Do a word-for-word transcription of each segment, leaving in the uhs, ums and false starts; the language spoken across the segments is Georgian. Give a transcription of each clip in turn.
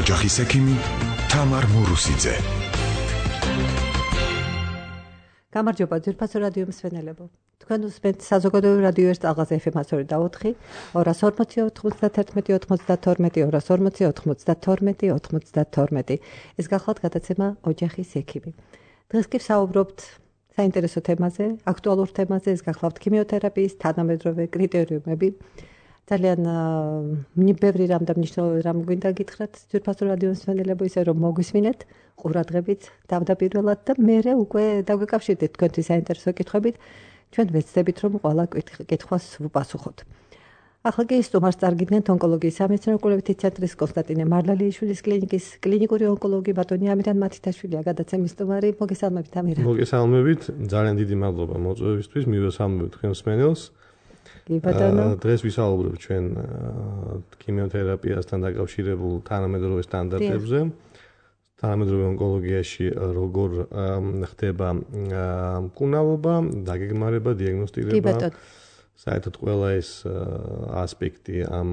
ოჯახის ექიმი თამარ მურუსიძე. გამარჯობა ძვირფასო რადიო მსმენელებო. თქვენ უსმენთ საზოგადოებრივ რადიო ერთ ალღაზე ეფ ემ ათი და ოთხი, ორას ორმოცი ოთხმოცდათერთმეტი ოცმოცდათორმეტი, ორას ორმოცი ოთხმოცდათორმეტი ოცმოცდათორმეტი. ეს გახლავთ გადაცემა ოჯახის ექიმი. დღეს კი ვსაუბრობთ საინტერესო თემაზე, აქტუალურ თემაზე, ეს გახლავთ ქიმიოთერაპიის თანამედროვე კრიტერიუმები. ძალიან ბევრი რამ და მნიშვნელოვანი რამ გვინდა გითხრათ ძვირფასო რადიო მსმენელებო, ისე რომ მოგვისმინეთ ყურადღებით თავდაპირველად და მერე უკვე დაგვეკავშირდეთ თქვენთვის საინტერესო კითხვებით, ჩვენ ვეცდებით რომ ყველა კითხვას ვუპასუხოთ. ახლა კი სტუმარს წარგიდგენთ ონკოლოგიის სამეცნიერო-კვლევითი ცენტრის კონსტანტინე მარლალიაშვილის კლინიკის კლინიკური ონკოლოგი ბატონი ამირან მათითაშვილია გადაცემის სტუმარი. მოგესალმებით ამირან. მოგესალმებით, ძალიან დიდი მადლობა მოწვევისთვის, მივესალმებით თქვენ მსმენელს. დღეს ვისაუბრებ ჩვენ ქიმიოთერაპიასთან დაკავშირებულ თანამედროვე სტანდარტებზე. თანამედროვე ონკოლოგიაში როგორ ხდება მკურნალობა, დაგეგმარება, დიაგნოსტირება. საერთოდ ყველა ეს ასპექტი ამ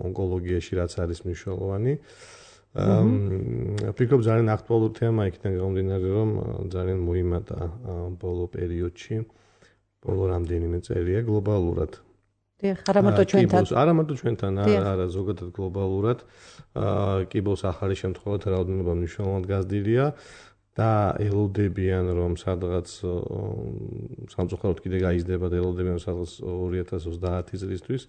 ონკოლოგიაში რაც არის მნიშვნელოვანი. ვფიქრობ ძალიან აქტუალური თემა იქიდან გამომდინარე, რომ ძალიან მოიმატა ბოლო პერიოდში. ბოლო რამდენიმე წელია გლობალურად. დიახ, არა მარტო ჩვენთან. არა მარტო ჩვენთან, არა ზოგადად გლობალურად. კიბოს ახალი შემთხვევა რაოდენობა მნიშვნელოვნად გაზრდილია და ელოდებიან რომ სადღაც სამწუხაროდ კიდე გაიზრდება და ელოდებიან სადღაც ორი ათას ოცდაათი წლისთვის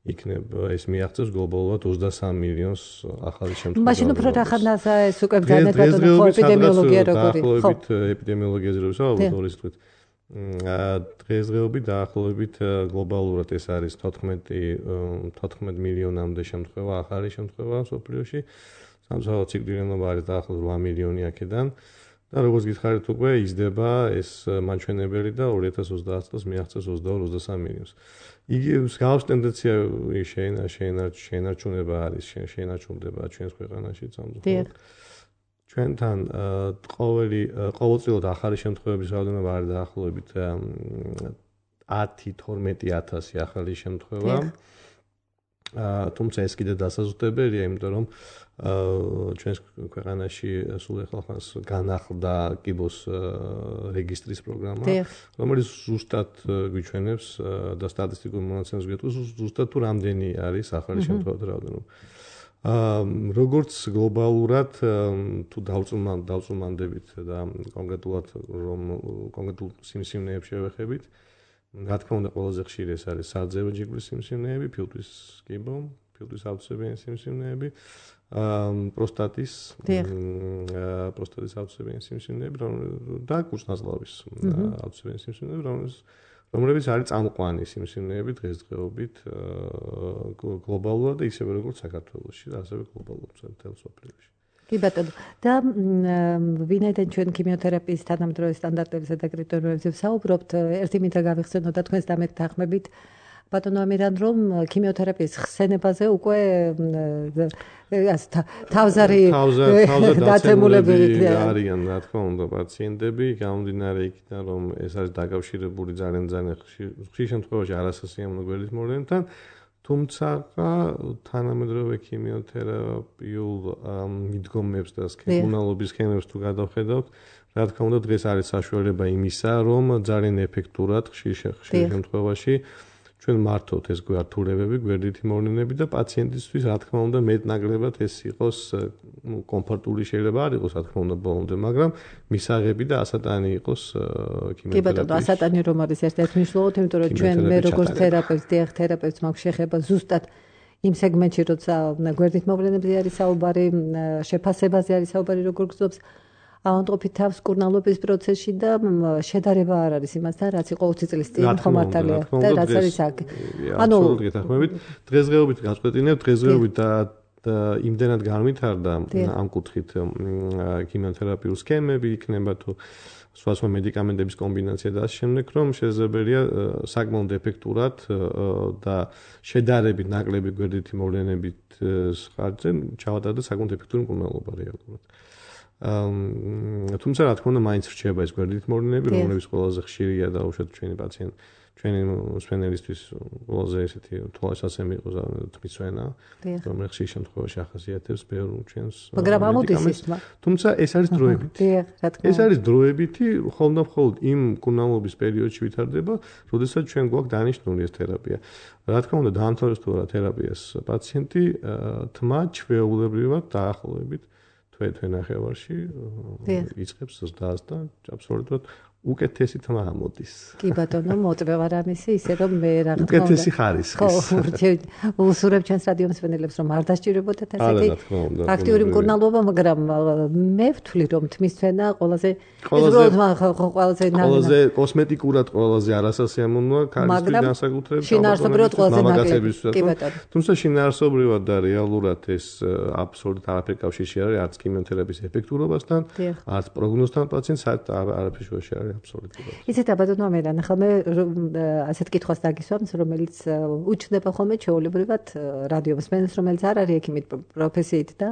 იქნება ეს მიაღწევს გლობალურად ოცდასამი მილიონს ახალი შემთხვევა. მაშინ უფრო რახანაზა ეს უკვე ბრძანეთ ბატონო ხო ეპიდემიოლოგია როგორი ხო? დაახლოებით ეპიდემიოლოგიაზე რო ვისაუბროთ ორის თვით. დღესდღეობით დაახლოებით გლობალურად ეს არის თოთხმეტ მილიონამდე შემთხვევა, ახალი შემთხვევა მსოფლიოში. სამწუხაროდ სიკვდილიანობა არის დაახლოებით რვა მილიონი აქედან და როგორც გითხარით უკვე იზრდება ეს მაჩვენებელი და ორი ათას ოცდაათი წელს მიაღწევს ოცდაორ ოცდასამი მილიონს. იგი მსგავს ტენდენცია შეენარჩუნება არის, შეენარჩუნდება ჩვენს ქვეყანაში სამწუხაროდ. ჩვენთან ყოველი ყოველწლიურად ახალი შემთხვევების რაოდენობა არის დაახლოებით ათი თორმეტი ათასი ახალი შემთხვევა. თუმცა ეს კიდე დასაზუსტებელია, იმიტომ რომ ჩვენს ქვეყანაში სულ ახალხანს განახლდა კიბოს რეგისტრის პროგრამა, რომელიც ზუსტად გვიჩვენებს და სტატისტიკურ მონაცემებს გვეტყვის ზუსტად თუ რამდენი არის ახალი შემთხვევათა რაოდენობა. როგორც გლობალურად თუ დავწულმანდებით და კონკრეტულად რომ კონკრეტულ სიმსივნეებს შევეხებით, რა თქმა უნდა ყველაზე ხშირი ეს არის სარძევო ჯიგრის სიმსივნეები, ფილტვის კიბო, ფილტვის ავტოცებიანი სიმსივნეები, პროსტატის პროსტატის ავტოცებიანი სიმსივნეები და კუჭნაზლავის ავტოცებიანი სიმსივნეები, რომლებიც არის წამყვანი სიმსივნეები დღესდღეობით გლობალურად და ისევე როგორც საქართველოში და ასევე გლობალურად მთელ მსოფლიოში. კი ბატონო, და ვინაიდან ჩვენ ქიმიოთერაპიის თანამედროვე სტანდარტებისა და კრიტერიუმებზე ვსაუბრობთ, ერთი მინდა გავიხსენო და თქვენს დამეთანხმებით ბატონო ამირან, რომ ქიმიოთერაპიის ხსენებაზე უკვე თავზარი დაცემულები არიან, რა თქმა უნდა, პაციენტები, გამომდინარე იქიდან, რომ ეს არის დაკავშირებული ძალიან ძალიან ხშირ შემთხვევაში არასასიამოვნო გვერდით მოვლენებთან, თუმცა თანამედროვე ქიმიოთერაპიულ მიდგომებს და მკურნალობის სქემებს თუ გადავხედავთ, რა თქმა უნდა, დღეს არის საშუალება იმისა, რომ ძალიან ეფექტურად ხშირ შემთხვევაში ჩვენ მართოთ ეს გვართულებები, გვერდითი მოვლენები და პაციენტისთვის რა თქმა უნდა მეტნაკლებად ეს იყოს კომფორტული შეიძლება არ იყოს რა თქმა უნდა ბოლომდე, მაგრამ მისაღები და ასატანი იყოს ქიმიოთერაპიის. კი ბატონო, ასატანი რომ არის ერთ-ერთი მნიშვნელოვანი, იმიტომ რომ ჩვენ მე როგორც თერაპევტი, დიახ, თერაპევტს მაქვს შეხება ზუსტად იმ სეგმენტში, როცა გვერდით მოვლენებზე არის საუბარი, შეფასებაზე არის საუბარი, როგორ გრძნობს ავადმყოფი თავს მკურნალობის პროცესში და შედარება არ არის იმასთან, რაც იყო ოცი წლის წინ ხომართალია და რაც არის აქ. ანუ დღესდღეობით გაწყვეტინებ, დღესდღეობით და იმდენად განვითარდა ამ კუთხით ქიმიოთერაპიული სქემები იქნება თუ სხვა მედიკამენტების კომბინაცია და ასე შემდეგ, რომ შესაძლებელია საკმაოდ ეფექტურად და შედარებით ნაკლები გვერდითი მოვლენებით ხარჯზე ჩავატარდეს საკმაოდ ეფექტური მკურნალობა რეალურად. თუმცა რა თქმა უნდა მაინც რჩება ეს გვერდით მოვლენები, რომლებიც ყველაზე ხშირია და უშუალოდ ჩვენი პაციენტ ჩვენი მსვენელისთვის ყველაზე ესეთი თვალსაჩინო იყო თმისვენა, რომელიც ხშირ შემთხვევაში ახასიათებს ბევრ ჩვენს მაგრამ ამოდის ის თმა. თუმცა ეს არის დროებითი. ეს არის დროებითი, ხოლმე მხოლოდ იმ მკურნალობის პერიოდში ვითარდება, როდესაც ჩვენ გვაქვს დანიშნული ეს თერაპია. რა თქმა უნდა, დაამთავრებს თუ არა თერაპიას პაციენტი, თმა ჩვეულებრივად დაახლოებით თვე-თვე ნახევარში იწყებს ზრდას და აბსოლუტურად უკეთესი თმა ამოდის. კი ბატონო, მოწვევა ვარ ამისი, ისე რომ მე რა თქმა უნდა. უკეთესი ხარისხის. ხო, უსურებ ჩვენს რადიო მსმენელებს რომ არ დასჭირებოდათ ასეთი აქტიური მკურნალობა, მაგრამ მე ვთვლი რომ თმისვენა ყველაზე ყველაზე ყველაზე კოსმეტიკურად ყველაზე არასასიამოვნოა ქალისთვის განსაკუთრებით შინაარსობრივად ყველაზე ნაკლები. კი ბატონო. თუმცა შინაარსობრივად და რეალურად ეს აბსოლუტურად არაფერი კავშირში არ არის არც ქიმიოთერაპიის ეფექტურობასთან, არც პროგნოზთან პაციენტს არაფერი შუაში არ არის. ისეთ აბატონო მე ნახალმე ასეთ კითხვას დაგისვამს, რომელიც უჩნდება ხოლმე ჩვეულებრივად რადიო მსმენელს, რომელიც არ არის ექიმით პროფესიით და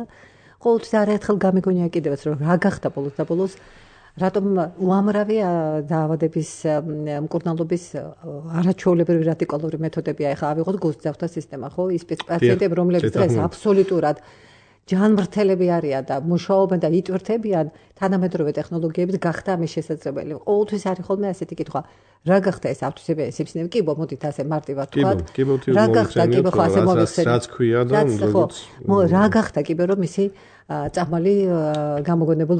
ყოველთვის არაერთხელ გამიგონია კიდევაც რომ რა გახდა ბოლოს და ბოლოს რატომ უამრავი დაავადების მკურნალობის არაჩვეულებრივი რადიკალური მეთოდებია. ეხლა ავიღოთ გულსძაფთა სისტემა, ხო? ის პაციენტები, რომლებიც დღეს აბსოლუტურად ჯანმრთელები არიან და მუშაობენ და იტვირთებიან, თანამედროვე ტექნოლოგიებით გახდა ამის შესაძლებელი. ყოველთვის არის ხოლმე ასეთი კითხვა, რა გახდა ეს ავტოცებია სიბნელე? კი, ბო, მოდით ასე მარტივად ვთქვათ. რა გახდა კი, ხო, ასე მოვიხსენე. რაც ქვია და როგორც რა გახდა კი, რომ მისი წამალი გამოგონებულ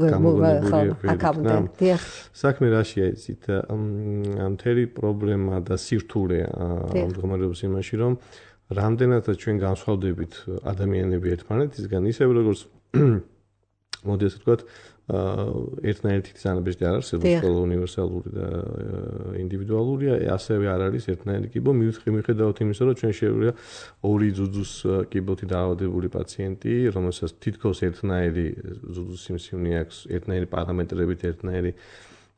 აკაუნტი. დიახ. საქმე რაშია იცით? მთელი პრობლემა და სირთულე ამ მდგომარეობის იმაში, რომ რამდენადაც ჩვენ განსხვავდებით ადამიანები ერთმანეთისგან, ისევ როგორც მოდი ასე ვთქვათ, ერთნაირი თითქმის არ არსებობს, ყველა უნივერსალური და ინდივიდუალურია, ასევე არ არის ერთნაირი კიბო, მიუხედავად იმისა, რომ ჩვენ შეგვიძლია ორი ძუძუს კიბოთი დაავადებული პაციენტი, რომელსაც თითქოს ერთნაირი ძუძუს სიმსივნე აქვს, ერთნაირი პარამეტრებით, ერთნაირი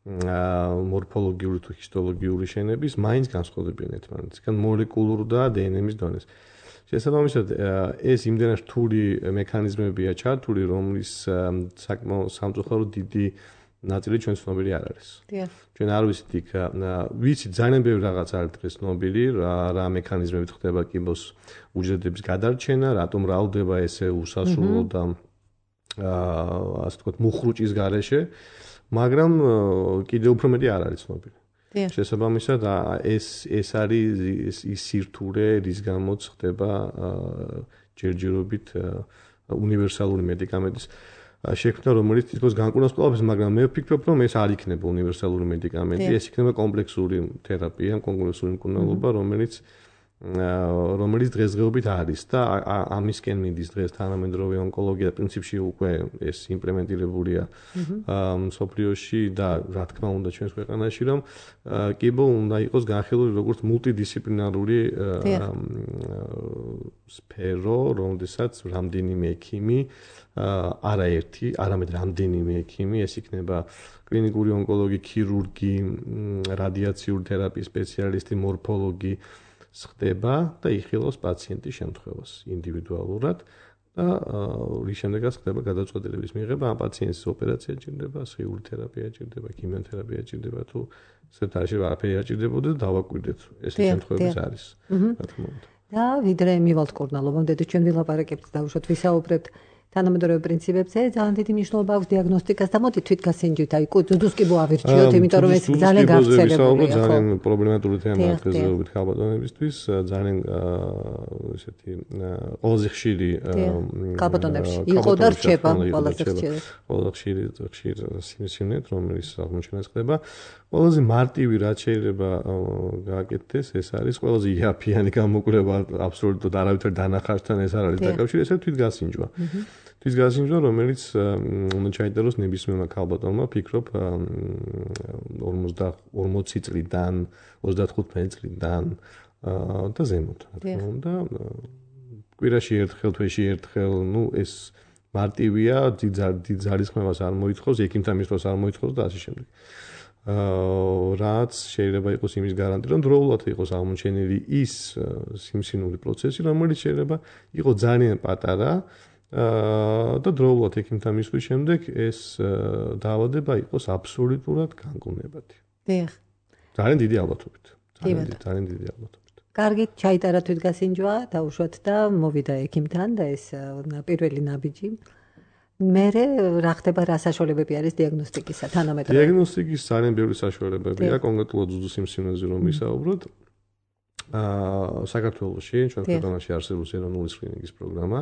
მორფოლოგიური თუ ჰისტოლოგიური შენების, მაინც განსხვავდებიან ერთმანეთისგან მოლეკულურ და დე ენ ემის დონეს. შესაბამისად, ეს იმდენად რთული მექანიზმებია ჩართული, რომლის საკმაოდ სამწუხაროდ დიდი ნაწილი ჩვენ ცნობილი არ არის. ჩვენ არ ვიცით იქ, ვიცით ძალიან ბევრი რაღაც არის დღეს ცნობილი, რა მექანიზმებით ხდება კიბოს უჯრედების გადარჩენა, რატომ რავდება ესე უსასრულო და ასე ვთქვათ, მუხრუჭის გარეშე. მაგრამ კიდევ უფრო მეტი არ არის ცნობილი. შესაბამისად, ეს ეს არის ის სირთულე, რის გამოც ხდება ჯერჯერობით უნივერსალური მედიკამენტის შექმნა, რომელიც თითქოს განკურნავს ყველაფერს, მაგრამ მე ვფიქრობ, რომ ეს არ იქნება უნივერსალური მედიკამენტი, ეს იქნება კომპლექსური თერაპია, კომპლექსური მკურნალობა, რომელიც რომელიც დღესდღეობით არის და ამისკენ მიდის დღეს თანამედროვე ონკოლოგია პრინციპში უკვე ეს იმპლემენტირებულია მსოფლიოში და რა თქმა უნდა ჩვენს ქვეყანაში რომ კიბო უნდა იყოს განხილული როგორც მულტიდისციპლინარული სფერო, რომელსაც რამდენიმე ექიმი, არაერთი, არამედ რამდენიმე ექიმი, ეს იქნება კლინიკური ონკოლოგი, ქირურგი, რადიაციური თერაპიის სპეციალისტი, მორფოლოგი ხდება და იხილავს პაციენტის შემთხვევას ინდივიდუალურად და რის შემდეგაც ხდება გადაწყვეტილების მიღება ამ პაციენტის ოპერაცია ჭირდება, სხეული თერაპია ჭირდება, ქიმიოთერაპია ჭირდება თუ სერტაში არაფერი არ ჭირდებოდა და დავაკვირდეთ ეს შემთხვევები არის რა თქმა უნდა. და ვიდრე მივალთ კურნალობამდე და ჩვენ ვილაპარაკებთ და უშოთ ვისაუბრებთ თანამედროვე პრინციპებზე, ძალიან დიდი მნიშვნელობა აქვს დიაგნოსტიკას და მოდი თვითგასინჯვით, აი ძუძუს კიბო ავირჩიოთ, იმიტომ რომ ეს ძალიან გავრცელებულია. ძალიან პრობლემატური თემაა დღესდღეობით ქალბატონებისთვის, ძალიან ესეთი ყველაზე ხშირი ქალბატონებში იყო და რჩება ყველაზე ხშირი. ყველაზე ხშირი ხშირ სიმსივნეთ, რომელიც აღმოჩენას ხდება. ყველაზე მარტივი რაც შეიძლება გააკეთდეს, ეს არის ყველაზე იაფიანი გამოკვლევა, აბსოლუტურად არავითარ დანახარსთან ეს არ არის დაკავშირებული, ესე თვითგასინჯვა. თვითგასინჯვა, რომელიც უნდა ჩაიწეროს ნებისმიერმა ქალბატონმა, ფიქრობ ორმოცი წლიდან, ოცდათხუთმეტი წლიდან და ზემოთ, რა თქმა უნდა. კვირაში ერთხელ, თვეში ერთხელ, ну ეს მარტივია, დიდ ძალისხმევას არ მოითხოვს, ექიმთან მისვლას არ მოითხოვს და ასე შემდეგ. რაც შეიძლება იყოს იმის გარანტი, რომ დროულად იყოს აღმოჩენილი ის სიმსივნური პროცესი, რომელიც შეიძლება იყოს ძალიან პატარა და დროულად ექიმთან მისვლის შემდეგ ეს დაავადება იყოს აბსოლუტურად განკურნებადი. დიახ. ძალიან დიდი ალბათობით. ძალიან დიდი, ძალიან დიდი ალბათობით. კარგით, ჩაიტარა თვითგასინჯვა, დაუშვათ და მოვიდა ექიმთან და ეს პირველი ნაბიჯი. მერე რა ხდება, რა საშუალებები არის დიაგნოსტიკისა, თანამედროვე? დიაგნოსტიკის ძალიან ბევრი საშუალებებია, კონკრეტულად ძუძუს სიმსივნეზე რომ ვისაუბროთ. აა საქართველოში, ჩვენ ქვეყანაში არსებობს ეროვნული სკრინინგის პროგრამა,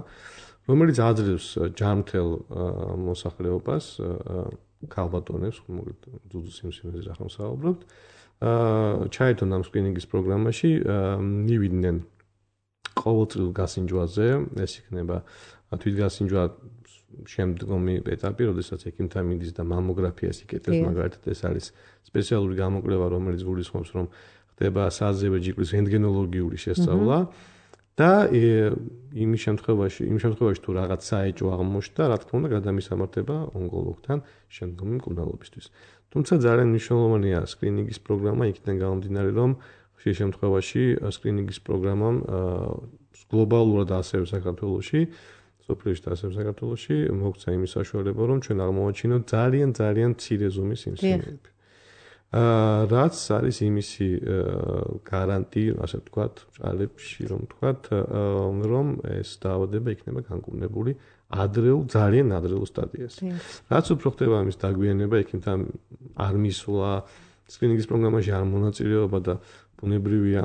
რომელიც აძლევს ჯანმრთელ მოსახლეობას, ქალბატონებს, ძუძუს სიმსივნეზე რა ხომ საუბრობთ. აა ჩაერთონ ამ სკრინინგის პროგრამაში, მივიდნენ ყოველწლიურ გასინჯვაზე, ეს იქნება თვითგასინჯვა შემდგომი ეტაპი, როდესაც ექიმთან მიდის და მამოგრაფიას იკეთებს, მაგალითად ეს არის სპეციალური გამოკვლევა, რომელიც გულისხმობს, რომ ხდება საზევრე ჯიგრის რენტგენოლოგიური შესწავლა და იმის შემთხვევაში, იმ შემთხვევაში თუ რაღაც საეჭვო აღმოჩნდა, რა თქმა უნდა, გადამისამართება ონკოლოგთან შემდგომი მკურნალობისთვის. თუმცა ძალიან მნიშვნელოვანია სკრინინგის პროგრამა იქიდან გამომდინარე, რომ ხშირ შემთხვევაში სკრინინგის პროგრამამ გლობალურად ასევე საქართველოში, სოფლიოში და ასევე საქართველოში მოგცა იმის საშუალება, რომ ჩვენ აღმოვაჩინოთ ძალიან ძალიან მცირე ზომის სიმსივნეები. აა რაც არის იმისი გარანტი, ასე ვთქვათ, ჭალებში, რომ ვთქვათ, რომ ეს დაავადება იქნება განკურნებული ადრეულ, ძალიან ადრეულ სტადიაზე. რაც უფრო ხდება ამის დაგვიანება, ექიმთან არ მისვლა, სკრინინგის პროგრამაში არ მონაწილეობა და ბუნებრივია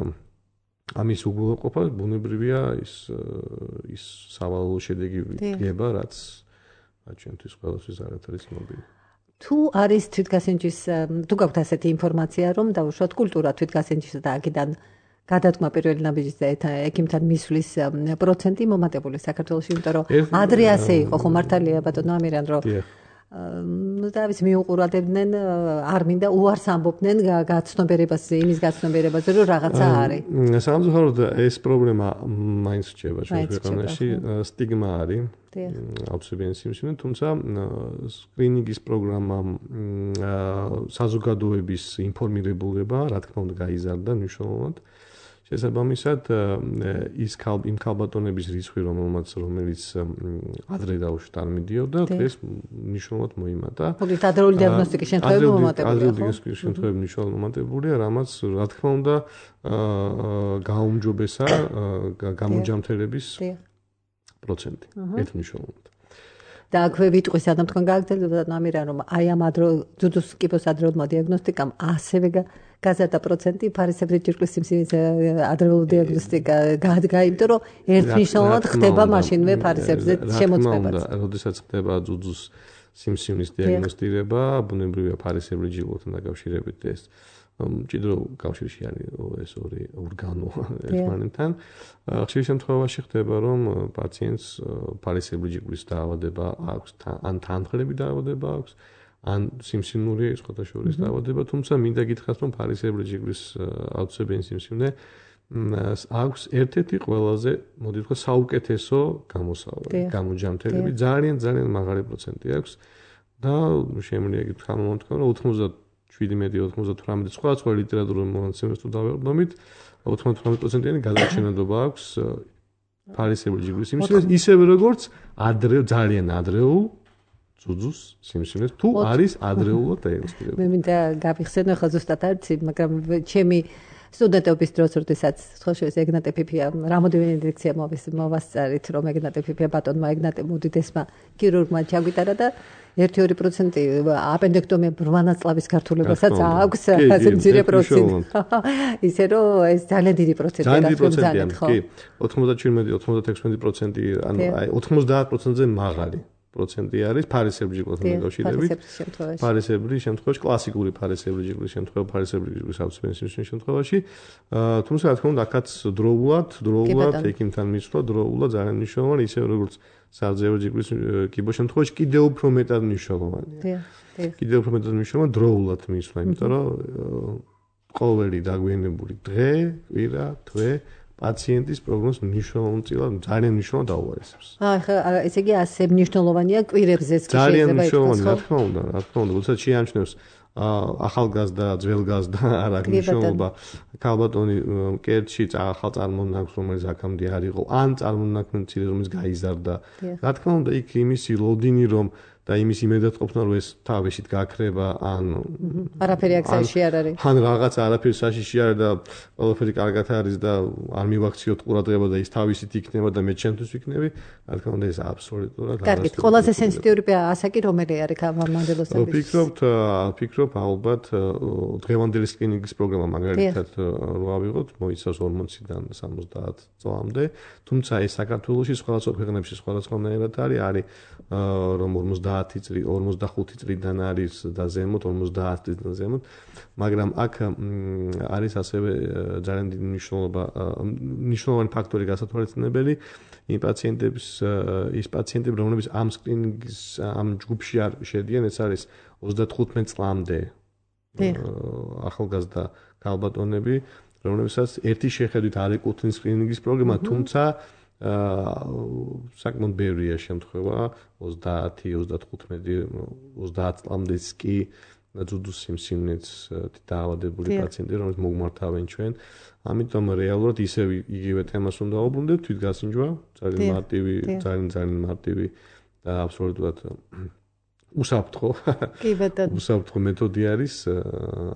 ამის უგულოყოფა, ბუნებრივია ის ის სავალალო შედეგი ვიღება, რაც ჩვენთვის ყველასთვის არ არის მობილი. თუ არის თვითგასინჯვის, თუ გაქვთ ასეთი ინფორმაცია, რომ დაუშვათ კულტურა თვითგასინჯვის და აქედან გადადგმა პირველი ნაბიჯის და ექიმთან მისვლის პროცენტი მომატებული საქართველოში, იმიტომ რომ ადრე ასე იყო, ხო მართალია ბატონო ამირან, რომ ну да, ვიცი მიუყურებდნენ, არ მინდა უარს ამბობდნენ გაცნობიერებას, იმის გაცნობიერებაზე, რომ რაღაცა არის. სამწუხაროდ ეს პრობლემა მაინც რჩება ჩვენ ქვეყანაში, სტიგმა არის. აუცილებელი სიმსივნე, თუმცა სკრინინგის პროგრამა საზოგადოების ინფორმირებულება, რა თქმა უნდა, გაიზარდა მნიშვნელოვნად. შესაბამისად, ის იმ ქალბატონების რიცხვი, რომელმაც რომელიც ადრე დაუშვათ არ მიდიოდა, დღეს მნიშვნელოვნად მოიმატა. მოგეთ ადრეული დიაგნოსტიკის შემთხვევები მომატებულია, ხო? ადრეული დიაგნოსტიკის შემთხვევები მნიშვნელოვნად მომატებულია, რამაც რა თქმა უნდა გაუმჯობესა გამოჯამთრების პროცენტი. ერთ მნიშვნელოვნად. და აქვე ვიტყვის ადამ თქვენ გააგრძელებდა ამირან, რომ აი ამ ადრეულ ძუძუს კიბოს ადრეულმა დიაგნოსტიკამ ასევე გაზარდა პროცენტი ფარისებრი ჯირკვლის სიმსივნის ადრეული დიაგნოსტიკა გაადგა, იმიტომ რომ ერთნიშნულად ხდება მაშინვე ფარისებზე შემოწმება. როდესაც ხდება ძუძუს სიმსივნის დიაგნოსტირება, ბუნებრივია ფარისებრი ჯირკვლებთან დაკავშირებით ეს მჭიდრო კავშირში არის ეს ორი ორგანო ერთმანეთთან. ხშირ შემთხვევაში ხდება, რომ პაციენტს ფარისებრი ჯირკვლის დაავადება აქვს, ან თანხლები დაავადება აქვს, ან სიმსივნური სხვათა შორის დაავადება, თუმცა მინდა გითხრათ, რომ ფარისებრი ჯირკვლის აუცილებელი სიმსივნე აქვს ერთ-ერთი ყველაზე, მოდი ვთქვა, საუკეთესო გამოსავალი, გამოჯამთრები, ძალიან ძალიან მაღალი პროცენტი აქვს და შემიძლია გითხრა, რომ ოცდაშვიდი ოცდათვრამეტი სხვა სხვა ლიტერატურულ მონაცემებს თუ დავეყრდნობით, ოცდათვრამეტი პროცენტიანი გადარჩენადობა აქვს ფარისებრი ჯირკვლის სიმსივნეს, ისევე როგორც ადრე ძალიან ადრეულ ძუძუს სიმსივნეს, თუ არის ადრეულად დაინსტიტუტირებული. მე მინდა გავიხსენო ხა ზუსტად არცი, მაგრამ ჩემი სტუდენტობის დროს, როდესაც სხვაშორის ეგნატე ფიფია, რამოდენიმე ინდექსია მოვასწარით, რომ ეგნატე ფიფია ბატონმა ეგნატე მუდიდესმა ქირურგმა ჩაგვიტარა და ერთი ორი პროცენტი აპენდექტომია ბრმანაწლავის გართულებასაც აქვს, ასე მცირე პროცენტი. ისე რომ ეს ძალიან დიდი პროცენტია. ძალიან დიდი პროცენტია, კი. ოცდაშვიდი ოცდათექვსმეტი პროცენტი, ანუ აი ოცდაათ პროცენტზე მაღალი პროცენტი არის ფარისებრი ჯირკვლებთან დაკავშირებით. ფარისებრი შემთხვევაში, კლასიკური ფარისებრი ჯირკვლის შემთხვევა, ფარისებრი ჯირკვლის აუცილებელი სიმსივნის შემთხვევაში, თუმცა რა თქმა უნდა, აქაც დროულად, დროულად ექიმთან მისვლა, დროულად ძალიან მნიშვნელოვანი, ისე როგორც საზევრე ჯირკვლის კიბოს შემთხვევაში კიდევ უფრო მეტად მნიშვნელოვანია. კიდევ უფრო მეტად მნიშვნელოვანია დროულად მისვლა, იმიტომ რომ ყოველი დაგვიანებული დღე, კვირა, თვე პაციენტის პროგნოზს მნიშვნელოვნად, ძალიან მნიშვნელოვნად აუარესებს. აი ხა, ესე იგი ასე მნიშვნელოვანია კვირებზეც კი შეიძლება ძალიან მნიშვნელოვანია, რა თქმა უნდა, რა თქმა უნდა, როდესაც შეამჩნევს ახალგაზრდა, ძველგაზრდა არ აქვს მნიშვნელობა. ქალბატონი კერტში ახალ წარმონაქმნს, რომელიც აქამდე არ იყო, ან წარმონაქმნი მცირე რომელიც გაიზარდა. რა თქმა უნდა, იქ იმისი ლოდინი რომ და იმის იმედად ყოფნა რომ ეს თავისით გაქრება ან არაფერი აქ საშიში არ არის. ან რაღაც არაფერი საშიში არ და ყველაფერი კარგად არის და არ მივაქციოთ ყურადღება და ის თავისით იქნება და მე ჩემთვის ვიქნები, რა თქმა უნდა ეს აბსოლუტურად არა. კარგი, ყველაზე სენსიტიური ასაკი რომელი არის მამამდელოსების? ვფიქრობთ, ვფიქრობ ალბათ დღევანდელი სკრინინგის პროგრამა მაგალითად რო ავიღოთ, მოიცავს ორმოციდან სამოცდაათ წლამდე, თუმცა ეს საქართველოში სხვადასხვა ქვეყნებში სხვადასხვანაირად არის, არის რომ ორმოცდაათი წელი, ორმოცდახუთი წლიდან არის და ზემოთ, ორმოცდაათი წლიდან ზემოთ, მაგრამ აქ არის ასევე ძალიან დიდი მნიშვნელობა, მნიშვნელოვანი ფაქტორი გასათვალისწინებელი იმ პაციენტების, ის პაციენტები, რომლებიც ამ სკრინინგის ამ ჯგუფში არ შედიან, ეს არის ოცდათხუთმეტ წლამდე ახალგაზრდა ქალბატონები, რომლებსაც ერთი შეხედვით არ ეკუთვნის სკრინინგის პროგრამა, თუმცა საკმაოდ ბევრია შემთხვევა ოცდაათი, ოცდათხუთმეტი, ოცდაათი წლამდეც კი ძუძუს სიმსივნეც დაავადებული პაციენტები, რომელიც მოგმართავენ ჩვენ. ამიტომ რეალურად ისევ იგივე თემას უნდა ვუბრუნდეთ, თვითგასინჯვა, ძალიან მარტივი, ძალიან ძალიან მარტივი და აბსოლუტურად უსაფრთხო. კი ბატონო. უსაფრთხო მეთოდი არის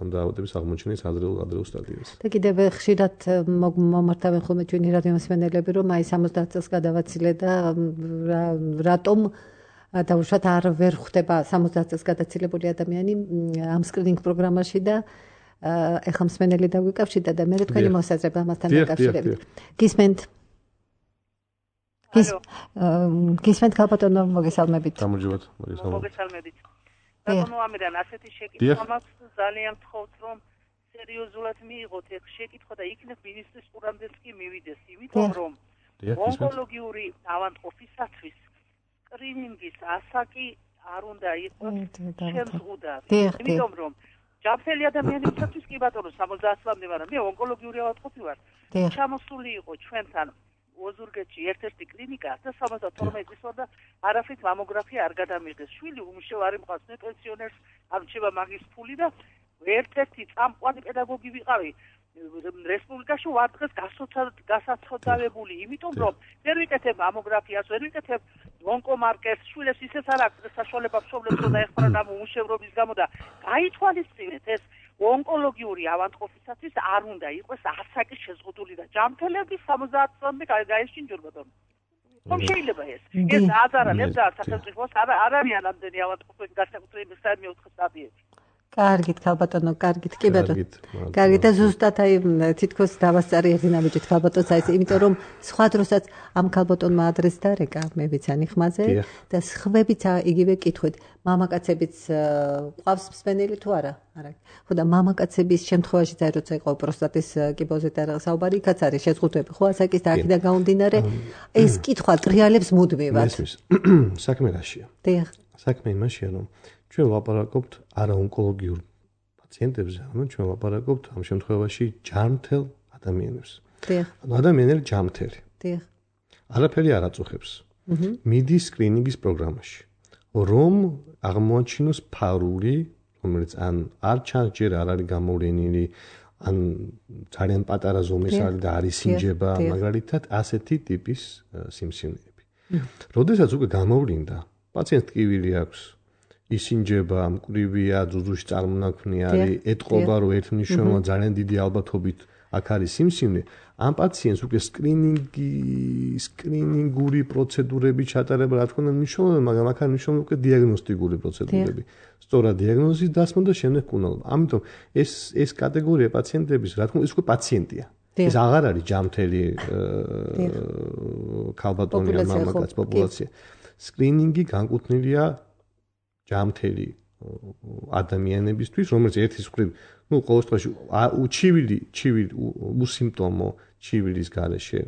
ამ დაავადების აღმოჩენის ადრეულ ადრეულ სტადიაზე. და კიდევ ხშირად მომართავენ ხოლმე ჩვენი რადიომსმენელები, რომ აი სამოცდაათ წელს გადავაცილე და რატომ დაუშვათ არ ვერ ხვდება სამოცდაათ წელს გადაცილებული ადამიანი ამ სკრინინგ პროგრამაში და ეხლა მსმენელი დაგვიკავშირდა და მე თქვენი მოსაზრება ამასთან დაკავშირებით. გისმენთ? გისმენთ ქალბატონო, მოგესალმებით. გამარჯობათ, მოგესალმებით. ბატონო ამირან, ასეთი შეკითხვა მაქვს, ძალიან ვთხოვთ, რომ სერიოზულად მიიღოთ ეს შეკითხვა და იქნებ მინისტრის ყურამდეც კი მივიდეს, იმიტომ რომ ონკოლოგიური ავადმყოფისათვის სკრინინგის ასაკი არ უნდა იყოს შემზღუდავი. იმიტომ რომ ჯანმრთელი ადამიანებისთვის კი ბატონო სამოცდაათ წლამდე ვარ, მე ონკოლოგიური ავადმყოფი ვარ. ჩამოსული იყო ჩვენთან ოზურგეთში ერთ-ერთი კლინიკა და სამოცდათორმეტი წლის ვარ და არაფრით მამოგრაფია არ გადამიღეს. შვილი უმშევ არ იმყავს მე პენსიონერს, ამჩება მაგის ფული და ერთ-ერთი წამყვანი პედაგოგი ვიყავი რესპუბლიკაში ვარ დღეს გასაცოდავებული, იმიტომ რომ ვერ ვიკეთებ მამოგრაფიას, ვერ ვიკეთებ ონკომარკერს, შვილებს ისეც არ აქვს საშუალება მშობლებს რომ დაეხმარონ ამ უმუშევრობის გამო და გაითვალისწინეთ ეს ონკოლოგიური ავადმყოფისათვის არ უნდა იყოს ასაკი შეზღუდული და ჯანმრთელების სამოცდაათ წლამდე გაეშინჯონ ბატონო. რომ შეიძლება ეს. ეს აზარალებს და სახელმწიფოს არ არიან ამდენი ავადმყოფები განსაკუთრებით მეოთხე სტადიებში. კარგით, ქალბატონო, კარგით, კი ბატონო. კარგით და ზუსტად აი თითქოს დავასწარი ედინამიჯით ქალბატონს აი იმიტომ რომ სხვა დროსაც ამ ქალბატონმა ადრეს დარეკა, მე ვიცანი ხმაზე და სხვებიც იგივე კითხვით, მამაკაცებიც ყავს მსმენელი თუ არა? არა. ხო და მამაკაცების შემთხვევაში და როცა იყო პროსტატის კიბოზე და საუბარი, იქაც არის შეზღუდვები, ხო, ასაკის და აქედან გამომდინარე, ეს კითხვა ტრიალებს მუდმივად. საქმე რაშია? დიახ. საქმე იმაშია, რომ ჩვენ ვლაპარაკობთ არაონკოლოგიურ პაციენტებზე, ანუ ჩვენ ვლაპარაკობთ ამ შემთხვევაში ჯანმრთელ ადამიანებს. დიახ. ანუ ადამიანები ჯანმრთელი. დიახ. არაფერი არ აწუხებს. მიდის სკრინინგის პროგრამაში, რომ აღმოაჩინოს ფარული, რომელიც ან არ ჩანს ჯერ არ არის გამოვლენილი, ან ძალიან პატარა ზომის არის და არის სინჯება, მაგალითად, ასეთი ტიპის სიმსივნეები. როდესაც უკვე გამოვლინდა, პაციენტს ტკივილი აქვს, ისინჯება, მკვრივია, ძუძუში წარმონაქმნი არის, ეტყობა რომ ერთმნიშვნელოვნად ძალიან დიდი ალბათობით აქ არის სიმსივნე, ამ პაციენტს უკვე სკრინინგი, სკრინინგური პროცედურები ჩატარება, რა თქმა უნდა, მნიშვნელოვანია, მაგრამ აქ არის მნიშვნელოვანი უკვე დიაგნოსტიკური პროცედურები. სწორად დიაგნოზის დასმა და შემდეგ კუნალობა. ამიტომ ეს ეს კატეგორია პაციენტების, რა თქმა უნდა, ეს უკვე პაციენტია. ეს აღარ არის ჯანმრთელი ქალბატონი ან მამაკაც პოპულაცია. სკრინინგი განკუთვნილია ჯანმრთელი ადამიანებისთვის, რომელიც ერთის მხრივ, ну, ყოველ შემთხვევაში, უჩივილი, ჩივილი, უსიმპტომო ჩივილის გარეშე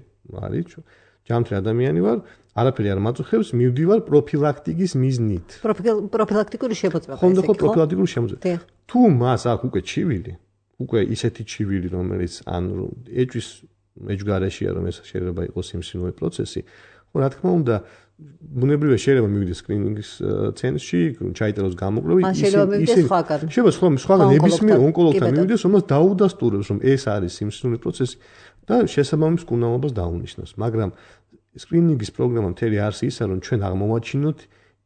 არის, ჯანმრთელი ადამიანი ვარ, არაფერი არ მაწუხებს, მივდივარ პროფილაქტიკის მიზნით. პროფილაქტიკური შემოწმება. ხო, ხო, პროფილაქტიკური შემოწმება. თუ მას აქვს უკვე ჩივილი, უკვე ისეთი ჩივილი, რომელიც ან ეჭვის ეჭვგარეშეა, რომ ეს შეიძლება იყოს სიმსივნური პროცესი, ხო, რა თქმა უნდა, ბუნებრივია შეიძლება მივიდეს სკრინინგის ცენტრში, ჩაიწეროს გამოკვლევა, ისინი შეიძლება სხვა სხვაგან ნებისმიერ ონკოლოგთან მივიდეს, რომელსაც დაუდასტურებს, რომ ეს არის სიმსივნური პროცესი და შესაბამის მკურნალობას დაუნიშნოს. მაგრამ სკრინინგის პროგრამა მთელი არსი ისაა, რომ ჩვენ აღმოვაჩინოთ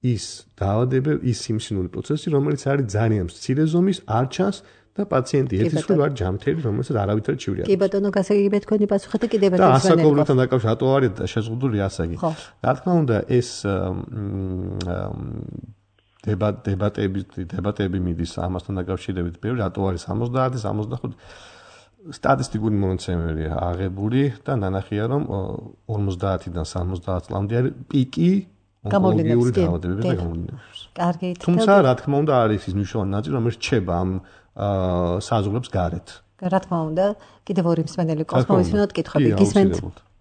ის დაავადებები, ის სიმსივნური პროცესი, რომელიც არის ძალიან მცირე ზომის, არ ჩანს და პაციენტი ეთის რომ არ ჯამთელი, რომელსაც არავითარ ჩივრი არ. კი ბატონო, გასაგებია თქვენი პასუხი და კიდევ ერთი და ასაკობრივთან დაკავშირებით რატო არის შეზღუდული ასაკი? რა თქმა უნდა, ეს დებატ დებატები დებატები მიდის ამასთან დაკავშირებით, ბევრი რატო არის სამოცდაათი, სამოცდახუთი სტატისტიკური მონაცემებია აღებული და ნანახია, რომ ორმოცდაათიდან სამოცდაათ წლამდე არის პიკი ონკოლოგიური დაავადებები და გამოვლინებების. კარგი. თუმცა, რა თქმა უნდა, არის ის მნიშვნელოვანი ნაწილი, რომელიც რჩება ამ საზღვრებს გარეთ. რა თქმა უნდა, კიდევ ორი მსმენელი კოსმოვისმინოთ კითხვები. გისმენთ?